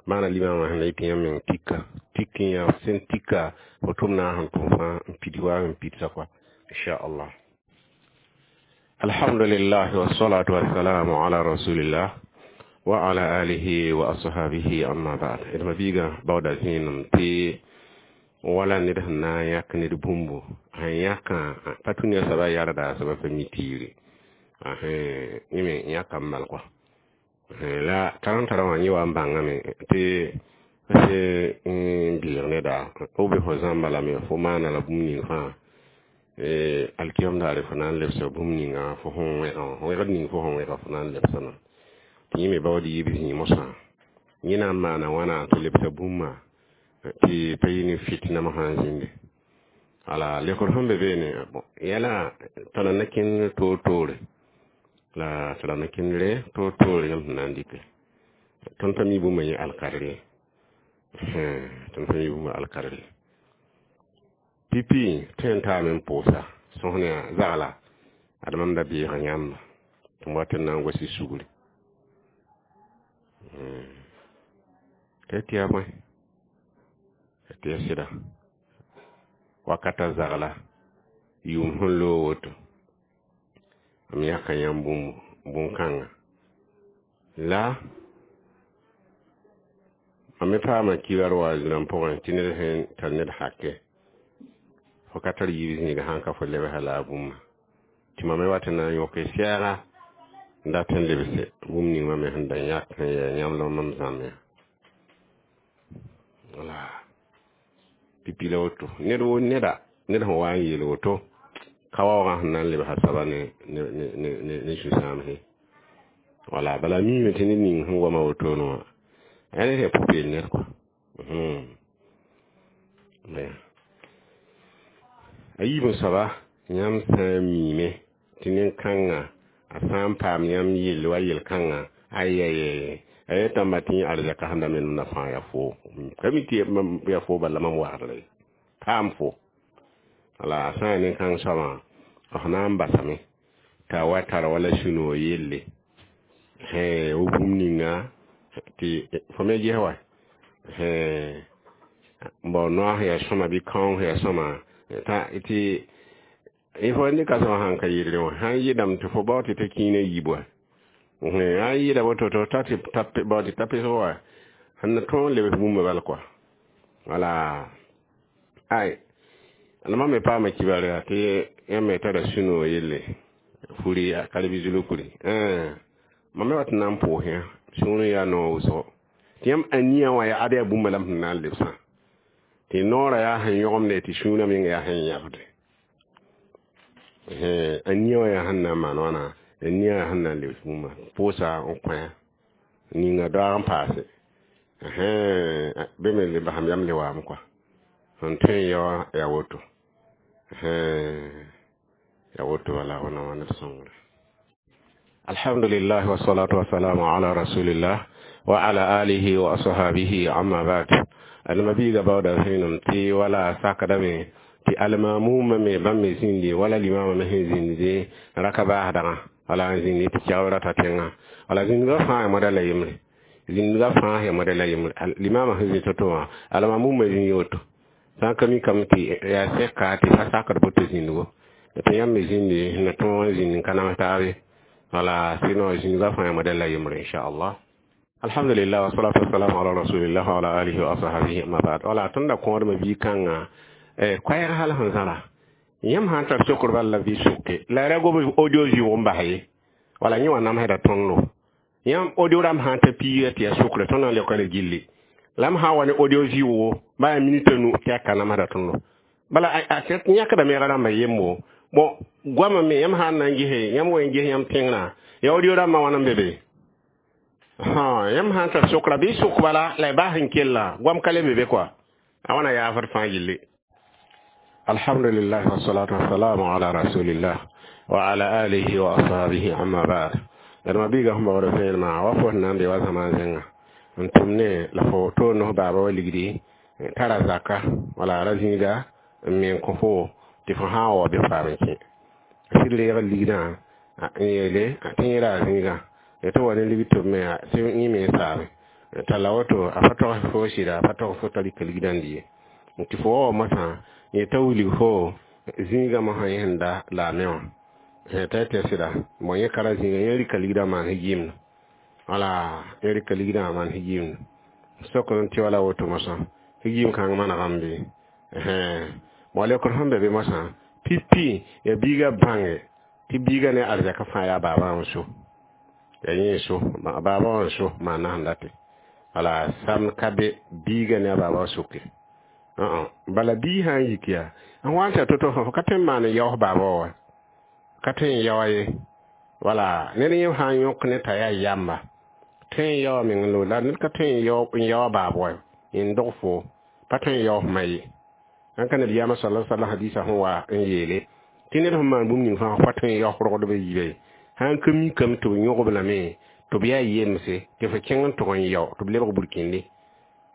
maana limamã sẽn la yetɩ yãmb meng tika tik n yaa sẽn tika fo tʋm na sẽn tʋm fãa n pid wa n pidsa kɔa inchallah. Alhamdulillah wassalatu wassalamu ala rasulillah wa ala alihi wa ashabihi, amma ba'd. D ma-biigã baooda zẽenem tɩ wala ned sẽn na n yãk ned bũmbu sẽn yãkã pa tũ ne a soaba yarda, a soaba pa mi tiire yẽ me yãka n mal kɔa la tar n tara wã yẽ wa n bãngame tɩ sẽn n bilg neda f be fo zãmba lame, fo maana la bũmb ning fãa alkiyam daare fo na n lebsa bũmb ninga fo sẽn wẽgã wã, wẽgd ning fo sẽn wẽga fo na n lebsame tɩ yẽ me baood yiib zĩig mosã yẽ na n maana wãna tɩ lebsa bũmba tɩ pa yɩ ne fitna mosã n zĩnde. Wala lekr sẽn be beene, bon, yɛla tara na kẽnd toor-toore la tara na kẽndre toor-toore yãmb sẽn na n dɩke. Tõnd pa mi bũmba yẽ alkadr ye, tõnd pa mi bũmba alkadr ye. Pipi tõe n taame n pʋʋsa sõs ne zagla ad mam da beega yãmba tɩ m wat n na n gosi sugri tɩ yaa bõe tɩ ya sɩda wakata zagla yʋʋm sẽn loog woto m yãka yãmb bũmb bũn-kãnga la mam me paama kibar wa zĩrãm pʋgẽ tɩ ned sẽn tar ned hake fo ka tar yiib zĩiga sãn ka fo lebsa la a bũmba tɩ mam me wat n na n yõke sɛɛga n dat n lebse bũmb ning mam me sẽn da yãk n yaa yãmb la mam zãmb ya. Wala pipi la woto ned wo neda ned sẽn wa n yeel woto ka waoogã sẽn na n lebsa soaba ne zu-sãamse. Wala bala miime tɩ ned ning sẽn goama wotone wã yaa ned yaa pʋ-peel ned kɔa. A yiib n soaba yãmb sã n miime tɩ nin-kãngã a sã n paam yãmb yell wa yel-kãngã ayɛyɛ a yetãmba tɩ yẽ arzɛka sẽn da menemda fãa yaa foo ka mi tɩ yaa foo bala mam wagdra ye paam fo. Wala a sã n yaa nin-kãng soabã f na n basame t'a wa tar wala sũ-noog yelle wo bũmb ninga tɩ fo me ges wa bao noaas yaa sõma bɩ kaoong yaa sõma tɩ fo ne ka sõma sãn ka yelle wã sãn yɩdame tɩ fo bao tɩ t'a kĩinã yiib wa sãn yɩda woto tɩ ta tɩ bao tɩ ta pesg wa sẽn na tõog n lebs bũmba bal kɔa. Wala ay la mam me paama kibar yaa tɩ yãmb me tara sũ-noog yelle furi a karbi kuri mam me wat n na n pʋʋs yã sũurẽ yaa noog wʋsgo tɩ yãmb ania wã yaa ad yaa bũmba la m sẽn na n lebsã tɩ noorã yaa sẽn yõgemde tɩ sũurã menga yaa sẽn yãbde ania wã yaa sẽn na n maan wãna ania yaa sẽn na n lebs bũmba pʋʋsa n kõ ninga daoog n paase bɩ me le basam yam le waame kɔa sẽn tõe n yao yaa woto yaa woto wala wẽnnaam wã ned sõngre. Alhamdulillah wassalatu wassalamu ala rasulillah wa ala alihi wa ashabihi, amma ba'd. Alma-biiga baooda vẽenem tɩ wala sakdame tɩ almamuma me bãmb me zĩndi wala limama me sẽn zĩndi raka baasdgã wala n zĩndi tɩ kɛgb rata tẽngã wala zĩndgã fãa ya moda la yembre zĩndgã fãa ya moda la yembre limama sẽn zĩ to-to wã almamuma zĩ woto sã n ka mi kam tɩ yaa sɛka tɩ fa sakd boto zĩndgo tɩ yãmb me zĩndi na tõog n zĩnd n ka nams taabe wala sinon zĩndgã fãa ya moda la yembre inchallah. Alhamdulillah wassalatu wassalamu ala rasulillah wa ala alihi wa ashabihi, amma ba'd. Wala tõnd da kõodmã bii-kãngã koɛɛg hal sẽn zãra yãmb sã n tar sokr bal la bɩ soke la ra gob audio zɩʋg n bas ye wala yẽ wã namsda tõndo yãmb audio rãmb sã n ta piiga tɩ yaa sokre tõnd na n leoka la gilli la m sã n wa ne audio zɩʋgo ba yaa minit a nu tɩ yaa ka namsda tõndo bala a yãkda meega rãmbã yembo. Bon, goamã me yãmb sã n na n gese yãmb wa n ges yãmb tẽngrã ya audio rãmbã wãna n be be yãmb sã n tar sokra bɩ sok bala la y bas n kella goam ka le be be kɔa a wãna yaafd fãa yelle. Alhamdulillah wassalatu wassalamu ala rasulillah wa ala alihi wa ashabihi, amma ba'd. D ma biiga sẽn baood vẽenemã wa fo sẽn na n be wa zãma zẽnga n tʋm ne la fo toor nos baaba wa ligdi tara zaka wala ra zĩiga n me n kõ fo tɩ fo sã n wa bɩ faam n kẽ sɩd reeg ligdã n yeele tɩ yẽ ra a zĩigã tɩ wa ne ligd tɩ b me tɩ yẽ me n saame talla woto a pa togs fo sɩda a pa togs fo t'a rɩka ligdã n dɩ ye tɩ fo wa wa mosã yẽ t'a wilg fo zĩigã mosã yẽ sẽn da la a me wã. T'a tɩ sɩda bon yẽ ka ra zĩiga yẽ rɩka ligdã maan sẽn wala yẽ rɩka ligdã maan sẽn sok n tɩ wala woto mosã sẽn kãng manegame bɩ bon lekr sẽn be be mosã pipi ya biiga bãnge tɩ biiga ne arzɛk fãa yaa baabã n so ya yẽ so baabã wã n so maana sẽn date wala sam ka be biiga ne a baaba wã soke bala bii sã n yik yaa n wa n tɩ to-to fo ka tõe n maan n yaoos baaba wã wa ka tõe n yaoa ye wala ned yẽ sã n yõk ne t'a yaa yamba tõe n yaoa meng lo la ned ka tõe n yaoa baab wa n dog fo pa tõe n yaoos ma ye ãn ka nabiyaamã sala sallam hadisa sẽn wa n yeele tɩ ned sẽn maan bũmb ning fãa pa tõe n yaoos rogdbã yiibã ye sã n ka mikame tɩ b yõgb lame tɩ b yaa yemse tɩ fo kẽng n tʋg n yao tɩ b lebg burkĩnde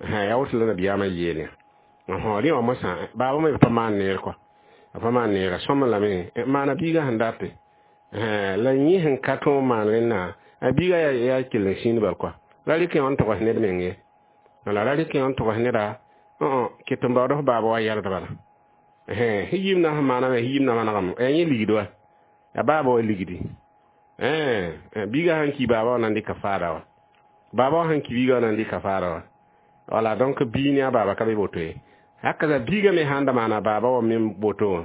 yaa woto la nabiyaamã yeele rẽ wã mosã baabã me pa maan neer kɔa a pa maan neera sõm lame maana biigã sẽn date la yẽ sẽn ka tõog maan rẽnna a biiga yaa kell n sĩnd bal kɔa ra rɩk n togs ned meng ye wala ra rɩk n togs neda ket n baood f baaba wa yɛld bala sẽn na sẽn maaname sẽn na manegame yaa yẽ ligd wa ya baaba wa ligdi biiga sãn ki baaba wa na n dɩka faada wa baaba wa sãn ki biiga wa na n dɩka faada wa wala donc bii ne a baaba ka be boto ye haka biiga me sãn da maana baaba wa me boto wã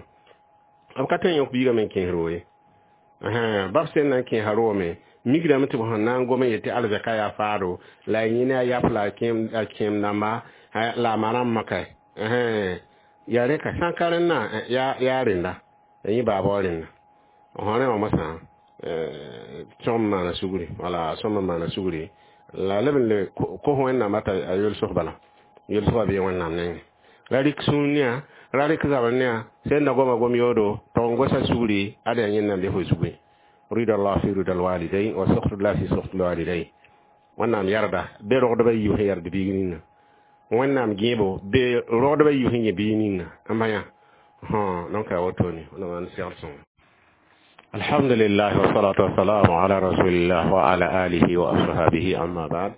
b ka tõe n yõk biiga me n kẽes roo ye bab sẽn na n kẽesa roome migrame tɩ b sẽn na n gom n yetɩ arzɛka yaa faado la a yẽ ne a yap la a kẽem dãmba la a ma rãmbã ka yaa rẽ ka sã n ka rẽnnã yaa rẽnda ya yẽ baaba wa rẽnda rẽ wã mosã sõm maana sugri wala sõm n maana sugri la leb n le kos wẽnnaam t'a a yolsg bala yolsgã bee wẽnnaam nengẽ ra rɩk sũur ne ra rɩk zabr ne sẽn da goma gom yoodo tog n gosa sugri ad yaa yẽnnaam be fo zugu rida allah fi rida alwalidain wa sukhtu fi sukhti alwalidain wẽnnaam yarda be rogdbã yiib sẽn yard biig ninga wẽnnaam gẽebo be rogdbã yiib sẽn yẽ biig ninga n ba yã donc a wotone wẽnnaam n segl sõngo. Alhamdulillah wassalatu wassalamu ala rasulillah wa ala alihi wa ashabihi, amma ba'd.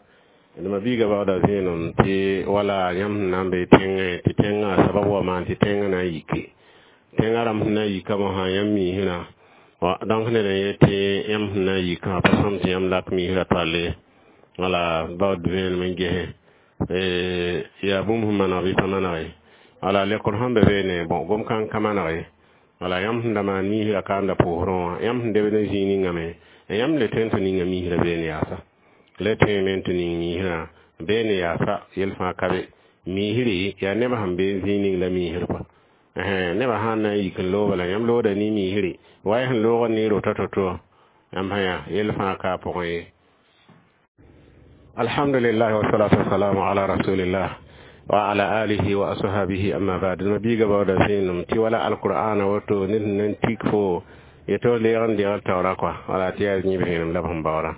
Ma biiga baoda zẽenem tɩ wala yãmb sẽn na n be tẽngẽ tɩ tẽngã sabab wa maan tɩ tẽngã na n yike tẽngã rãmb sẽn na n yika mosã yãmb miisrã donc ned n yet tɩ yãmb sẽn na n yikã pa sõm tɩ yãmb lak miisrã toalle wala baood vẽenem n gese yaa bũmb sẽn maneg bɩ pa maneg ye wala lekr sẽn be beene bon gom kãng ka maneg ye wala yãmb sẽn da maan miisrã ka n da pʋʋsrẽ wã yãmb sẽn debd n zĩig ningame yãmb le tõe n tɩ ninga miisrã beene yaasa le tõeme n tɩ ning miisrã beene yaasa yel fãa ka be miisri yaa nebã sẽn be zĩig ning la miisr kɔa nebã sãn na n yik n looga la yãmb looda ne miisri wa y sẽn loogd ne rota to-to yãmb sã yaa yel fãa ka a pʋgẽ ye. Alhamdulillah wassalatu wassalamu ala rasulillah wa ala alihi wa ashabihi, amma ba'd. Ma biiga baooda zẽenem tɩ wala alqur'ana woto ned sẽn na n tik fo yeto leeg n deegl taoora kɔa wala tɩ yaa yẽb zẽenem la b sẽn baoora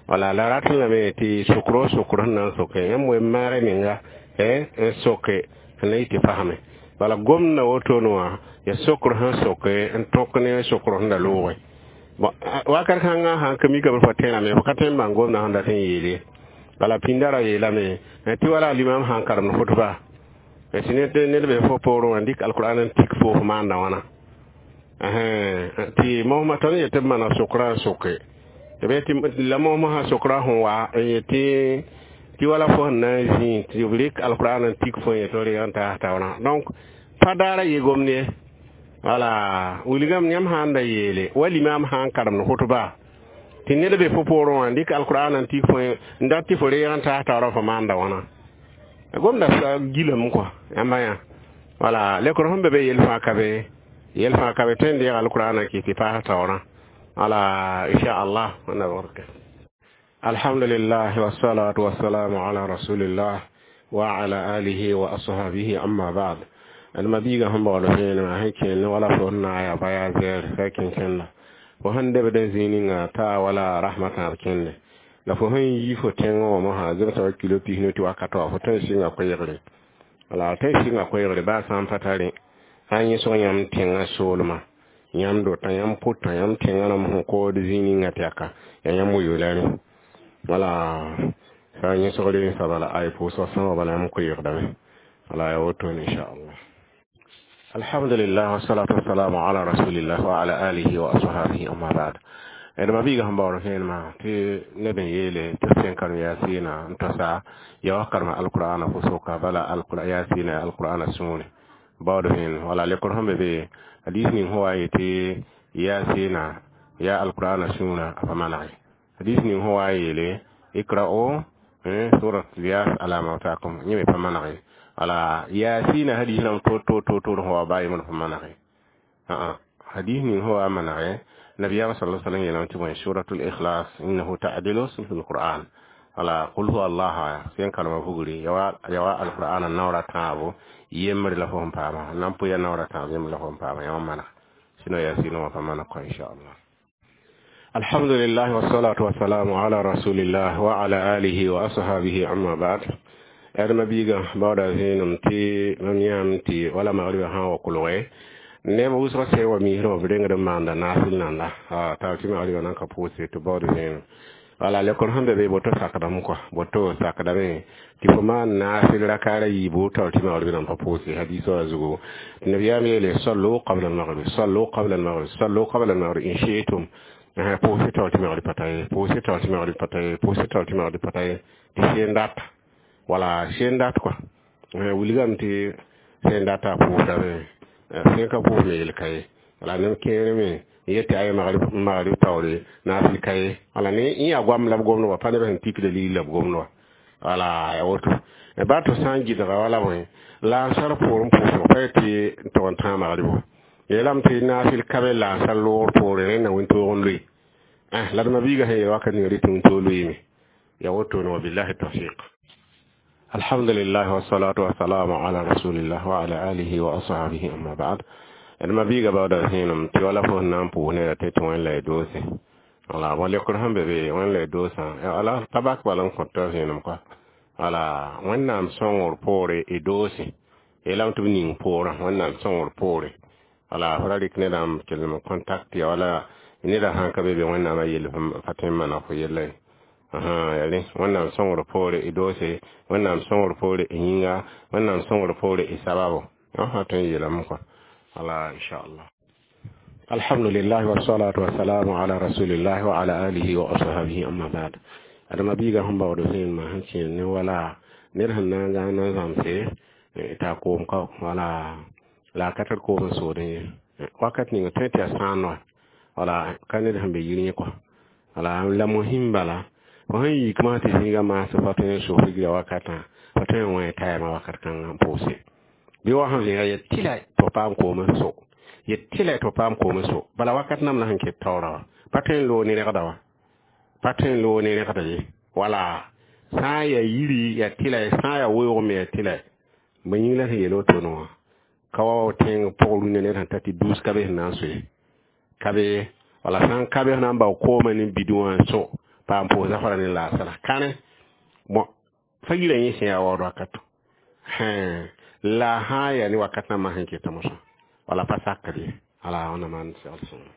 wala la rat lame tɩ sokro sokr sẽn na n soke yãmb wem maagre menga n soke sẽn na yɩ tɩ fasme bala gomda wotone wã ya sokr sẽn soke n tõk ne sokr sẽn da looge bon wakat kãngã sãn ka mikame fo tẽrame fo ka tõe n bãng gomdã sẽn dat n yeele bala pĩnda ra yeelame tɩ wala limam sãn karemd khutba tɩ ned be fo poorẽ wã n dɩk alqur'an n tik fo fo maanda wãna tɩ mosmã tõnd yetɩ b maneg sokrã n soke tɩ la mosmã sã sokra sẽn wa n yetɩ tɩ wala fo sẽn na n zĩ tɩ b rɩk alqur'an n tik fo n yetɩ reeg n taas taoorã donc pa daara ye gomd ye wala wilgame yãmb sã n da yeele wa limam sã n karemd khutba tɩ ned be fo poorẽ wã n dɩk alqur'an n tik fo n dat tɩ fo reeg n taas taoorã fo maanda wãna gomda gilame kɔa yãmba yã wala lekr sẽn be be yel fãa ka be yel fãa ka be tõe n deeg alqur'an n kɩs tɩ paas taoorã wala inchallah wẽnna barka. Alhamdulillah wassalatu wassalamu ala rasulillah wa ala alihi wa ashabihi, amma ba'd. Alma biiga sẽn baood vẽenemã sẽn kẽnd wala fo sẽn na n yaa baya zɛɛr fa kẽn-kẽnda fo sẽn debd n zĩig ninga taa wala rasmã tãab kẽnde la fo sẽn yi fo tẽngã wã mosã zemsã wa kilo pisnu tɩ wakat wã fo tõe n sɩnga koɛɛgre wala tõe n sɩnga koɛɛgre baa sã n pa tare sã n yẽsg yãmb tẽngã soolmã yãmb dota yãmb pʋtã yãmb tẽngã rãmb sẽn kood zĩig ninga tɩ yaka yaa yãmb wilg rẽ wala sã n yẽsg rensã bala ay pʋʋsg sõma bala yãmb koɛɛgdame wala yaa wotone inchallah. Alhamdulillah, wassalatu wassalamu ala rasulillah wa ala alihi wa ashabihi, amma ba'd. D ma biiga sẽn baood vẽenemã tɩ ned n yeele tɩ sẽn karem yaasɩɩna n tosa ya wa karema alqur'ana fo soka bala yaasɩɩna ya alqur'ana sũure baood vẽenem. Wala lekr sẽn be be hadis ning sẽn wa n yetɩ yaasɩɩna ya alqur'ana sũurã, a pa manege. Hadis ning sẽn wa n yeele ikra'u surat yas ala mautakum, yẽ me pa manege. Wala yaasɩɩna hadis rãmb to to to to sẽn wa baa yembr pa manege. Hadis ning sẽn wa n manege, nabiyaam sala sallam yeelame tɩ bõe, suratul ikhlas innahu ta'dilu sulhu lquran. Wala qul huwa allah sẽn karema vugri ya wa alqur'ana naoora tãabo yembre la fo sẽn paama nan pʋ ya naoora tãab yembre la fo sẽn paama yã maneg sino yaasɩɩna wã pa maneg kõ, inchallah. Alhamdulillah, wassalatu wassalamu ala rasulillah wa ala alihi wa ashabihi, amma ba'd. D ma biiga baooda vẽenem tɩ mam yãam tɩ wala magriba sã n wa kolge neb wʋsg sẽn wa misrã b rengd n maanda naasɩl nanda t'a tɩ magriba nan ka pʋʋse tɩ baood vẽenem. Wala lekr sẽn be be boto sakdame kɔa, boto sakdame tɩ fo maan naasɩl rakaara yiibu taoor tɩ magrib nan pa pʋʋse. Hadis wã zugu tɩ nabiyaam yeele sallu qabla almaghrib, sallu qabla almaghrib, sallu qabla almaghrib in shi'tum. Pʋʋse taoor tɩ magrib pa ta ye, pʋʋse taoor tɩ magrib pa ta ye, pʋʋse taoor tɩ magrib pa ta ye, tɩ seen dat wala seen dat kɔa wilgame tɩ sẽn data pʋʋsdame sẽn ka pʋʋs me yel ka ye. Wala neb kẽere me n yet tɩ aya magrib taoore naasɩl ka ye. Wala ne n yaa goam la b gomd wa pa neb sẽn tikda ligd la b gomd wa. Wala ya woto ba tɩ sã n gɩdga wala bõe lansar poorẽ pʋʋsg pa yetɩ n tog n tãag magribo yeelame tɩ naasɩl ka be lansar loogr poore rẽnna wĩntoog n loe la d ma biiga sẽn yeel wakat ninga rɩ tɩ wĩntoog loeeme ya wotone. Wabillahi tawfiq. Alhamdulillah, wassalatu wassalamu ala rasulillah wa ala alihi wa ashabihi, amma ba'd. D ma biiga baooda vẽenem tɩ wala fo sẽn na n pʋʋs neda tɩ tɩ wẽn la y doose. Wala bõ lekr sẽn be be wẽn la y doosã wala tabak bala n kõt t'a vẽenem kɔa. Wala Wẽnnaam sõngr poore y doose yeelame tɩ b ning poorã Wẽnnaam sõngr poore. Wala fo ra rɩk nedã n kell n contact ya wala neda sãn ka be be Wẽnnaamã yell pa tõe n maneg fo yella ye. Ya rẽ Wẽnnaam sõngr poore y doose, Wẽnnaam sõngr poore y yĩnga, Wẽnnaam sõngr poore y sababo yõ sã tõe n yeelame kɔa. Wala inchallah. Alhamdulillah, wassalatu wassalamu ala rasulillah wa ala alihi wa ashabihi, amma ba'd. Adama biiga sẽn baood vẽenemã sẽn kẽer ne wala ned sẽn na n gãag na n zãmse t'a koom ka wala la a ka tar koom n soodẽ ye wakat ninga tõe tɩ yaa sãan wa wala ka ned sẽn be yir yẽ kɔa. Wala la mosim bala fo sẽn yik masã tɩ zĩiga maas fa tõe n soos rigra wakatã fa tõe n wẽ tayɛmã wakat kãngã n pʋʋse bɩ wa sẽn vẽega yet tɩla tɩ f paam koom n so yet tɩla tɩ f paam koom n so bala wakat nam la sẽn ket taoora wa pa tõe n loog ne rẽgda wa pa tõe n loog ne rẽgda ye. Wala sã n yaa yiri yaa tɩla sã n yaa weoog me yaa tɩla ba yĩng la sẽn yeel wotone wã ka wa tẽng pʋg rũnã ned sẽn ta tɩ duus ka be sẽn na n soe ka be. Wala sã n ka be sẽn na n bao koomã ne bid wã n so paam pʋʋs zafara ne laasra kãne bõn fa yirã yẽ sẽn yaa waood wakato la sã n yaa ne wakat nambã sẽn keta mosã wala pa sakd ye. Wala wẽnnaam maan segl sõngo.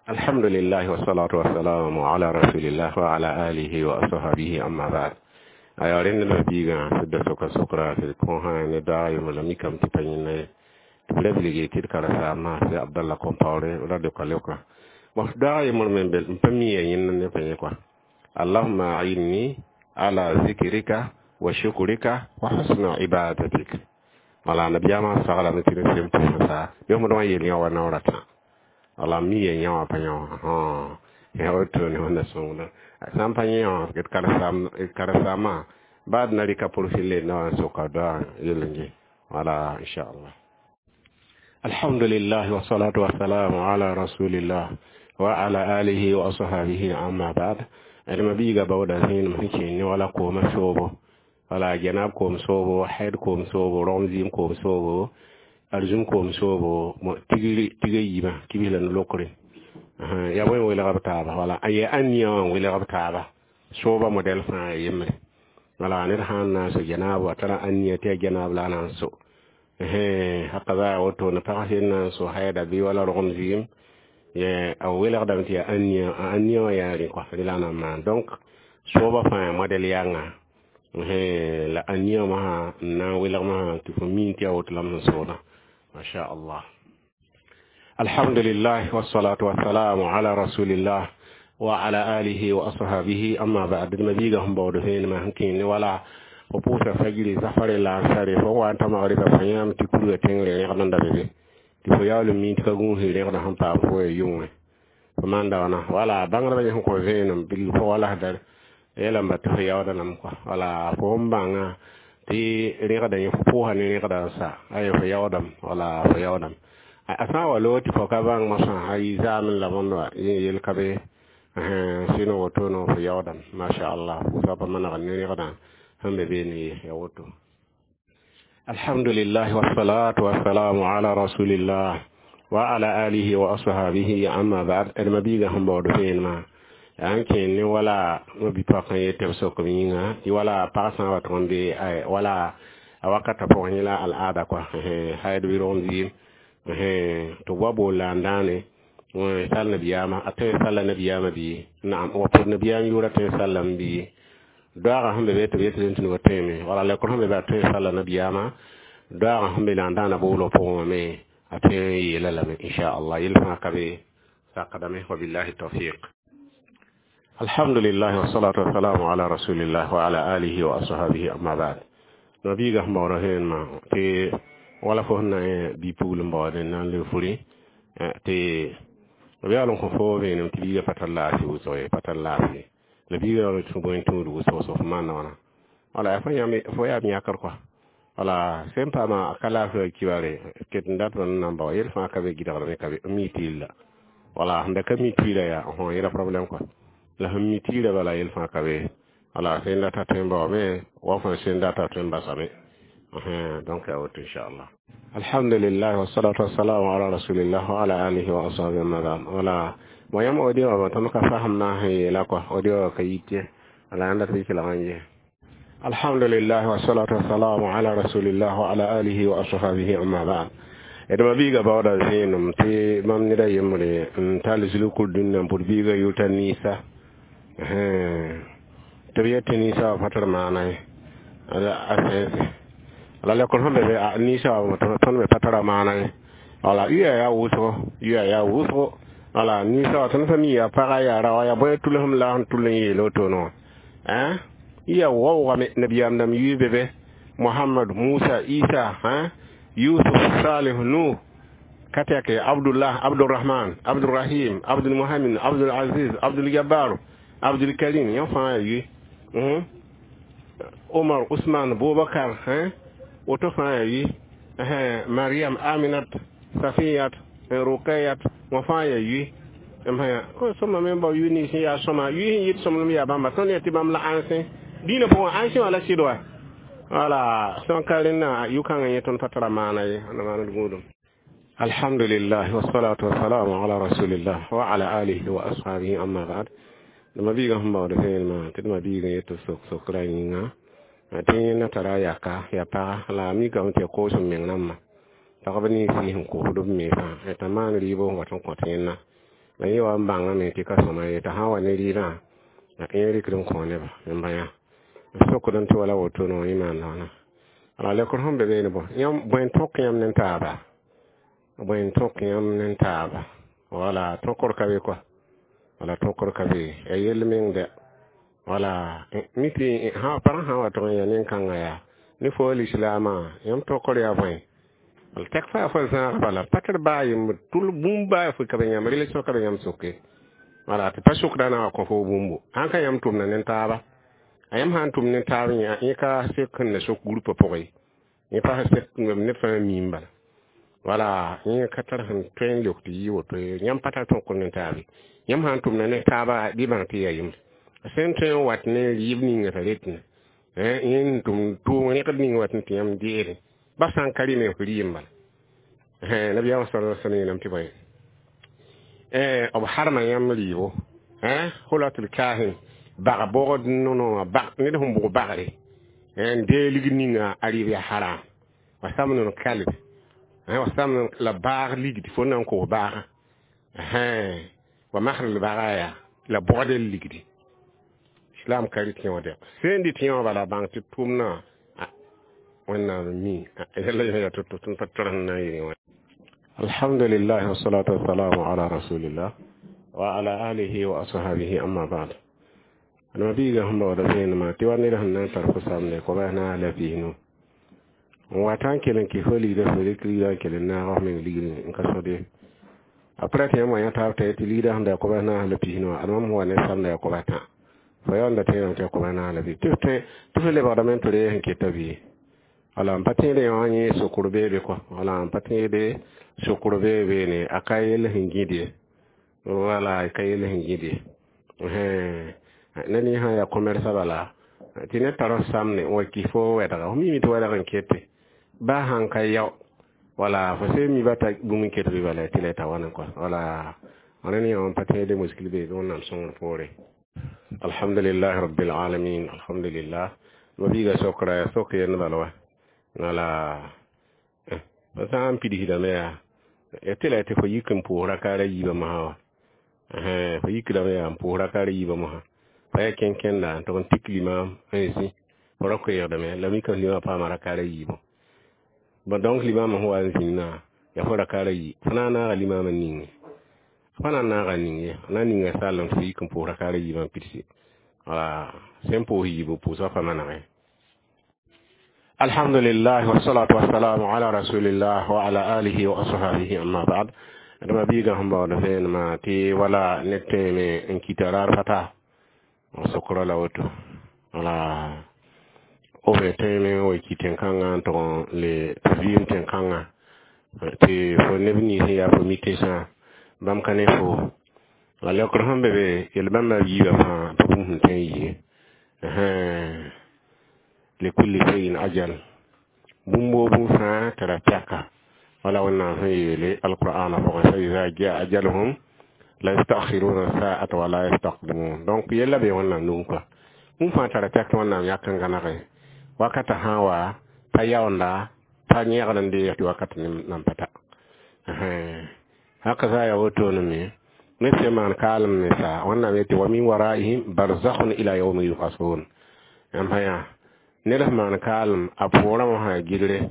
Alhamdulillah, wassalatu wassalamu ala rasulillah wa ala alihi wa ashabihi, amma ba'd. Aya rẽnd la biigã sɩd soka sokra tɩ kõ sã ne daag yembr la mikame tɩ pa yẽnda ye tɩ b ra bilge tɩ d karen-saambã sɩ Abdallah Compaoré ra leoka leoka. Bon, daag yembr me n pa mi ya yẽnd ne pa yẽ kɔa. Allahumma a'inni ala zikrika wa shukrika wa husna ibadatik. Wala nabiyaamã saglame tɩ ne sem pʋʋsã bɩ f wã yel yã wa naoora tã wala mi ya yã wã pa yã wã ya woto ne wẽnna sõngda sã n pa yẽ wã d karen-saambã baa d na rɩka profil le na wa n soka doa yell n ge. Wala inchallah. Alhamdulillah, wassalatu wassalamu ala rasulillah wa ala alihi wa ashabihi, amma ba'd. D ma biiga baooda zẽenem sẽn kẽer ne wala koomã soobo wala janab koom soobo, haid koom soobo, rogem zɩɩm koom soobo, arzũm koom soobo, tigri tig a yiibã kibis la no-lokre yaa bõe welg b taaba wala a yaa ãniyã wã n welg b taaba sooba modɛl fãa ya yembre. Wala ned sã n na n so janaab a tara ãniya tɩ yaa janaab la a na n so hakaza ya wotone pag sẽn na n so haida bɩ wala rogem zɩɩm a welgdame tɩ yaa ãniya a ãniya wã yaa rẽ kɔa rẽ la a na n maan. Donc sooba fãa modɛl yanga la ãniya masã n na n welg masã tɩ fo mi tɩ yaa woto la m sẽn soodã. Masha Allah. Alhamdulillah, wassalatu wassalamu ala rasulillah wa ala alihi wa ashabihi, amma ba'd. Mabiga hum bawdo hen ma hankin wala fo pusa fajiri safare la sare fo wa ta magriba fo yam ti kuru tengre ne da bebe ti fo yawlo min ti ka gun he ne han pa fo e yunwe fo manda wana wala bangra ba ko venum bil fo wala dar yela mba ti fo yawda nam ko wala fo mbanga ti rẽgda yẽ fo pʋʋsa ne rẽgda n sa ay fo yaoodame wala fo yaoodame a sã n wa loog tɩ fo ka bãng mosã a yɩ zaamẽ la bõnd wa yẽ yel ka be sɩn woto no fo yaoodame masha Allah pʋʋsga pa manegd ne rẽgdã sẽn be beene ye ya woto. Alhamdulillah, wassalatu wassalamu ala rasulillah wa ala alihi wa ashabihi, amma ba'd. D mabiiga sẽn baood vẽenemã yaa n kẽen ne wala bi-poak n yet tɩ b sok m yĩnga tɩ wala pag sã n wa tʋg n be wala a wakatã pʋgẽ yẽ la al'aada kɔa haid wɩrg ziim tɩ b wa bool la n dãane sall nabiyaamã a tõe n salla nabiyaamã bɩ naam wa pʋd nabiyaam yʋʋra tõe n sallame bɩ doaagã sẽn be be tɩ b yetɩ tɩ wa tõeme wala lekr sẽn be be a tõe n salla nabiyaamã doaagã sẽn be la n dãana boolg pʋgẽ wã me a tõe n yeela lame inchallah yel fãa ka be sakdame. Wabillahi tawfiq. Alhamdulillah, wassalatu wassalamu ala rasulillah wa ala alihi wa ashabihi, amma ba'd. Nabiga sẽn baoodã vẽenemã tɩ wala fo sẽn na bi-pugl n baood n na n le furi tɩ b yaool n kõ fo vẽenem tɩ biiga pa tar laafɩ wʋsg ye pa tar laafɩ la biiga yaool tɩ bõe tũud wʋsg so fo maanda wãna wala yaa fo yãmb fo yaa b yãkr kɔa wala sẽn paama ka laafɩ wa kibare ket n dat n nan bao yel fãa ka be gɩdgdame ka be n mi tɩɩl la wala sẽn da ka mi tɩɩla yaa yẽla problème kɔa la sẽn mi tɩɩla bala yel fãa ka be wala sẽn data tõe n baoome wa fõ sẽn data tõe n basame. Donc ya woto inchallah. Alhamdulillah, wassalatu wassalamu ala rasulillah wa ala alihi wa ashabihi, amma ba'd. Wala mo yam audio ba tõnd ka fasem na sẽn yeela kɔa audio ka yit ye wala yãnd tɩ kelg n ye. Alhamdulillah, wassalatu wassalamu ala rasulillah wa ala alihi wa ashabihi, amma ba'd. D ma biiga baooda vẽenem tɩ mam ned a yembre n tall zulkul dũnna n pʋd biiga yʋta niisa tɩ b yet tɩ niisa wa pa tɩ d maana ye a sẽnsẽ la lekr sẽn be be niisa wa tõnd me pa tara maana ye wala yʋya yaa wʋsgo yʋya yaa wʋsgo wala niisa wa tõnd sã mi yaa paga yaa raoa yaa bõe tulsem la sẽn tʋl n yeel wotoone wã ya waoogame nabiyaam dãmb yʋɩ be be Mohamad, Musa, Isa, Yusuf, Salih, Nuh, ka tɛke Abdullah, Abdurahman, Abdurahim, Abdulmuhamin, Abdulaziz, Abdulgabbar, Abdulkarim yẽ fãa yaa yʋɩ Omar, Usman, Bubakar, woto fãa yaa yʋɩ Mariam, Aminat, Safiyat, Rukayat wã fãa yaa yʋɩ sõma me bao yʋ nins yaa sõma yʋɩ sẽn yɩt sõmlem yaa bãmba tõnd yaa tɩ bãmb la ãnsẽ dĩinã pʋgẽ ãnsẽ wã la sɩd wa wala sẽn ka rẽnna yʋ-kãngã yẽ tõnd pa tara maana ye na maand gũudum. Alhamdulillah, wassalatu wassalamu ala rasulillah wa ala alihi wa ashabihi, amma ba'd. D mabiigã sẽn baood vẽenemã tɩ d mabiigã yet tɩ sok sokra yĩnga tɩ yẽnda tara yaka ya paga la a mikame tɩ ya koos m meng rãmbã pagb nins sɩs n kosd b mensã t'a maan rɩɩb n wat n kõt yẽnna la yẽ wa n bãngame tɩ ka sõma ye t'a sã n wa ne rɩɩdã yẽ rɩkd n kõ neba n bã yã sokd n tɩ wala woto no yẽ maan wãna ala lekr sẽn be beene bõ yãmb bõe n tõk yãmb ne taaba bõe n tõk yãmb ne taaba wala tõkr ka be kɔa wala tõkr ka be ya yell meng dɛ wala mi tɩ pag sã n wa tʋg n ya nin-kãngã yaa ne fo lislaamã yãmb tõkr yaa bõe wala tɛk fa fo zãag bala pa tɩ d baa yembr tʋl bũmb baa fo ka be yãmb relation ka be yãmb soke wala tɩ pa sokda na wa kõ fo bũmbu sãn ka yãmb tʋmda ne taaba a yãmb sã n tʋm ne taab yẽ ka sek n na sok groupe pʋgẽ yẽ pa sek neb fãa miim bala wala yẽ ka tar sẽn tõe n leok tɩ yɩ woto yãmb pa tar tõkr ne taabe yãmb sã n tʋmda ne taaba bɩ bãng tɩ yaa yembre sẽn tõe n wat ne rɩɩb ninga t'a retne yẽ n tʋm tʋʋm rẽgd ning wat n tɩ yãmb deere ba sã n ka rɩme f rɩɩm bala nabiyaamã sala sallam yeelame tɩ bõe b harma yãmb rɩɩbo hulatul kahin bag bogd nono bag ned sẽn bʋg bagre n dee ligd ninga a rɩɩb yaa haram wa samn kalb wa samn la baag ligd fo na n kos baagã wa masr bagaya la bogd l ligdi islam ka rɩt yõ dɛ sẽn dɩ tɩ yõ bala bãng tɩ tʋmna Wẽnnaam mi yɛla yaa to-to tɩ n pa tɔrs n na n yɩ wã. Alhamdulillah, wassalatu wassalamu ala rasulillah wa ala alihi wa ashabihi, amma ba'd. Adama biiga sẽn baooda vẽenemã tɩ wa ned sẽn na n tar fo samde koabs naas la 25 n wa tã n kell n kɩs fo ligdã, fo rɩk ligdã n kell n naag f meng ligri n ka sõd ye. Aprɛ tɩ yãmb wa yã taab t'a tɩ ligdã sẽn da yaa koabs naas la 25 wã, ad mam sẽn wa ne samda yaa koabs tã, fo yaoonda tẽedame tɩ yaa koabs naas la 25, tɩ fo lebgdame n tɩ reeg sẽn keta bɩ. Wala n pa tẽede yã wã yẽ sokr beebe kɔ, wala n pa tẽede sokr beebe ne, a ka yell sẽn gĩd ye, wala ka yell sẽn gĩd ye. Ned yẽ sã n yaa commerce bala tɩ ned tar f samne n wa kis fo wɛdga, fo mime tɩ wɛdg n kete baa sãn ka yao, wala fo sẽn mi ba t'a bũmb n ket bɩ bala tɩ la t'a wãne kɔ, wala rẽnd yã wã n pa tẽede muskil beebe. Wẽnnaam sõngr poore. Alhamdulillahi rabbil alamin, alhamdulillah. Ma biiga sokra sok yend bala wa, wala fo sã n pidsdame yaa ya tɩ la tɩ fo yik n pʋʋs rakaara yiibã mosã wa, fo yikdame yaa n pʋʋs rakaara yiibã mosã, fa yaa kẽn-kẽnda n tʋg n tik limaam n zĩ, fo ra koeegdame la mikame limã paama rakaara yiibã. Bon, donc limaamã sẽn wa n zĩnnã yaa fo rakaara yi, fo na n naaga limaamã ninge, fo na n naaga ning ye, na n ninga sall tɩ fo yik n pʋʋs rakaara yiibã n pidsi, wala sẽn pʋʋs yiibu pʋʋsgã pa manege. Alhamdulillah, wassalatu wassalamu ala rasulillah wa ala alihi wa ashabihi, amma ba'd. Adama biiga sẽn baood vẽenemã tɩ wala ned tẽeme n kɩta raar fata sokra la woto, wala b tẽeme n wa ki tẽn-kãngã n tʋg n le tɩ vɩɩm tẽn-kãngã tɩ fo neb nins sẽn yaa fo mi-tesã bãmb ka ne fo la leokr sẽn be be yel bãmba yiibã fãa tɩ bũmb sẽn tõe n yɩ likulli shay'in ajal, bũmb woo bũmb fãa tara pɛka, wala Wẽnnaam sẽn yeele alqur'ana pʋgẽ: fa iza jaa ajaluhum la yastakhiruna sa'ata wa la yastaqdimun. Donc yella be Wẽnnaam nugẽ kɔa, bũmb fãa tara pɛk tɩ Wẽnnaam yak n gãnege wakata sã n wa pa yaoonda pa yẽgd n deeg tɩ wakat nan pa ta haka za ya wotone me ned sẽn maan kaalem ne sa Wẽnnaam yetɩ wa min waraihim barzakhun ila yawmi yub'athun. Yãmb sã yaa ned sẽn maan kaalem a pʋʋrã wã sã ya gilre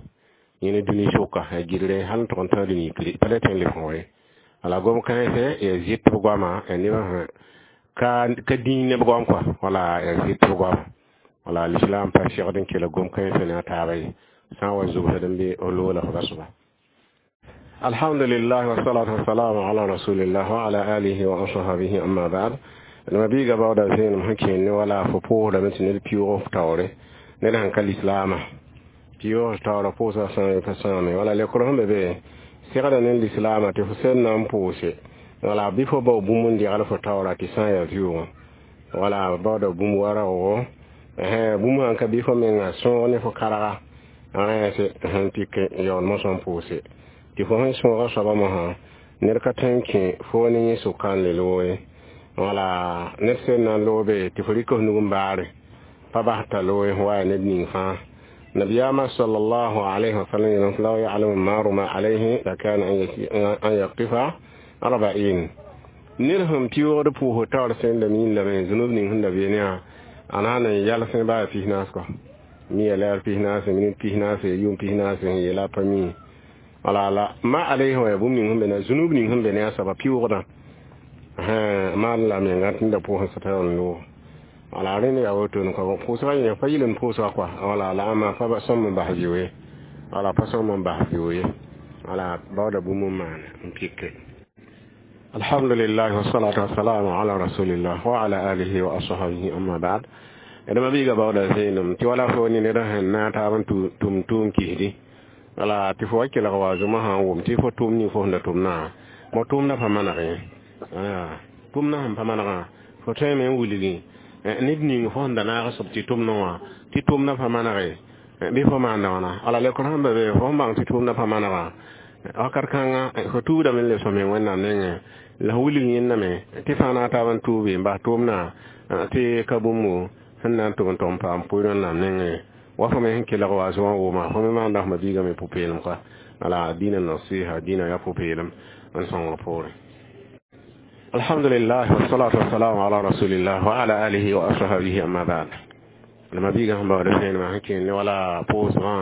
yẽne dũni sʋka ya gilre hal n tʋg n tã dũni kri pa le tõe n leb fõ ye. Wala gom kãense ya zɩt b goama ya nebã sã ka dĩig neb goam kɔa, wala ya zɩt b goama, wala l'islam pa segd n kell gom kãensã ne a taaba ye sã n wa zʋbsd n be f loola f ba soaba. Alhamdulillah, wassalatu wassalamu ala rasulillah wa ala alihi wa ashabihi, amma ba'd. Ma biiga baooda vẽenem sẽn kẽen ne wala fo pʋʋsdame tɩ ned pɩʋʋg f taoore, ned sẽn ka lislaamã pɩʋʋg taoora pʋʋsga sãame pa sãame, wala lekr sẽn be be segda ne lislaamã tɩ fo sẽn na n pʋʋse, wala bɩ fo bao bũmb n degl fo taoora tɩ sã n yaa vɩʋʋgẽ, wala baooda bũmb waraoogo bũmb sãn ka bɩ fo menga sõog ne fo karga rẽse sẽn pik yaool mosã n pʋʋse tɩ fo sẽn sõoga soabã mosã ned ka tõe n kẽ fo ne yẽ sʋka n le looge, wala ned sẽn na n loobe tɩ fo rɩk f nug n baare pa bas t'a looge wa yaa ned ning fãa. Nabiyaamã sallallahu alayhi wa sallam yeelame: law ya'lamu maru ma alayhi lakana an yaqifa arba'in. Ned sẽn pɩʋʋgd pʋʋsg taoor sẽn da miin lame zũnub ning sẽn da beene yã a na n yalsẽ baa 40 kɔ mi ya lɛɛr 40, minit 40, yʋʋm 40 n yeela a pa mi, wala la ma alayhi wa ya bũmb ning sẽn be na zũnub ning sẽn be ne a soaba pɩʋʋgdã maan la menga tɩ da pʋʋsẽ sã t'a n loog, wala rẽnd yaa wotone kɔ pʋʋsgã yẽ pa yɩl n pʋʋsga kɔa, wala la ãmba pa sõm n bas vɩo ye, wala pa sõm n bas vɩo ye, wala baooda bũmb n maane n pike. Alhamdulillah, wassalatu wassalamu ala rasulillah wa ala alihi wa ashabihi, amma ba'd. Adama biiga baooda vẽenem tɩ wala fo ne ned sẽn na taab n tʋm tʋʋm kisdi, wala tɩ fo wa kelg wa zʋma sã n wʋm tɩ fo tʋʋm ning fo sẽn da tʋmnã mo tʋʋmdã pa manegẽ, tʋmdã sẽn pa manegã fo tõeme n wilgi ned ning fo sẽn da naag soab tɩ tʋmdẽ wã tɩ tʋmdã pa manege bɩ fo maanda wãna, wala lekr sẽn be be fo sẽn bãng tɩ tʋʋmdã pa manegã wakat kãnga fo tuudame n lebs fo meng Wẽnnaam nengẽ la f wilg yẽndame tɩ fãa na taab n tuubi n bas tʋʋmdã tɩ ka bũmbo sẽn na n tʋg n tʋg n paam pʋɩ Wẽnnaam nengẽ wa fo me sẽn kelg wa zoã wʋma fo me maanda f mabiigã me pʋ-peelem kɔa, wala dĩnã nasiha dĩnã yaa pʋ-peelem n sõngr poorẽ. Alhamdulillah, wassalatu wassalamu ala rasulillah wa ala alihi wa ashabihi, amma ba'd. La ma-biigã sẽn baood vẽenemã sẽn kẽer ne wala pʋʋsgã,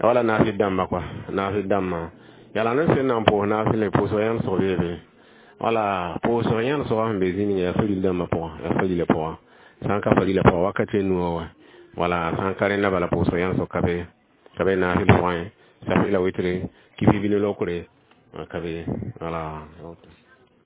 wala naafɩl dãmbã kɔa, naafɩl dãmbã yaa la ned sẽn na n pʋʋs naafɩlẽ, pʋʋsg yãnesg beebe. Wala pʋʋsg yãnesgã sẽn be zĩ ninga yaa faril dãmbã pʋgã, yaa farilã pʋgã. Sã n ka farilã pʋgã, wakat a nuwã wa, wala sã n ka rẽnda bala, pʋʋsg yãnesg ka be, ka be naafɩl pʋgẽ, safi la wɩtre, kifi bɩ lokre ka be, wala.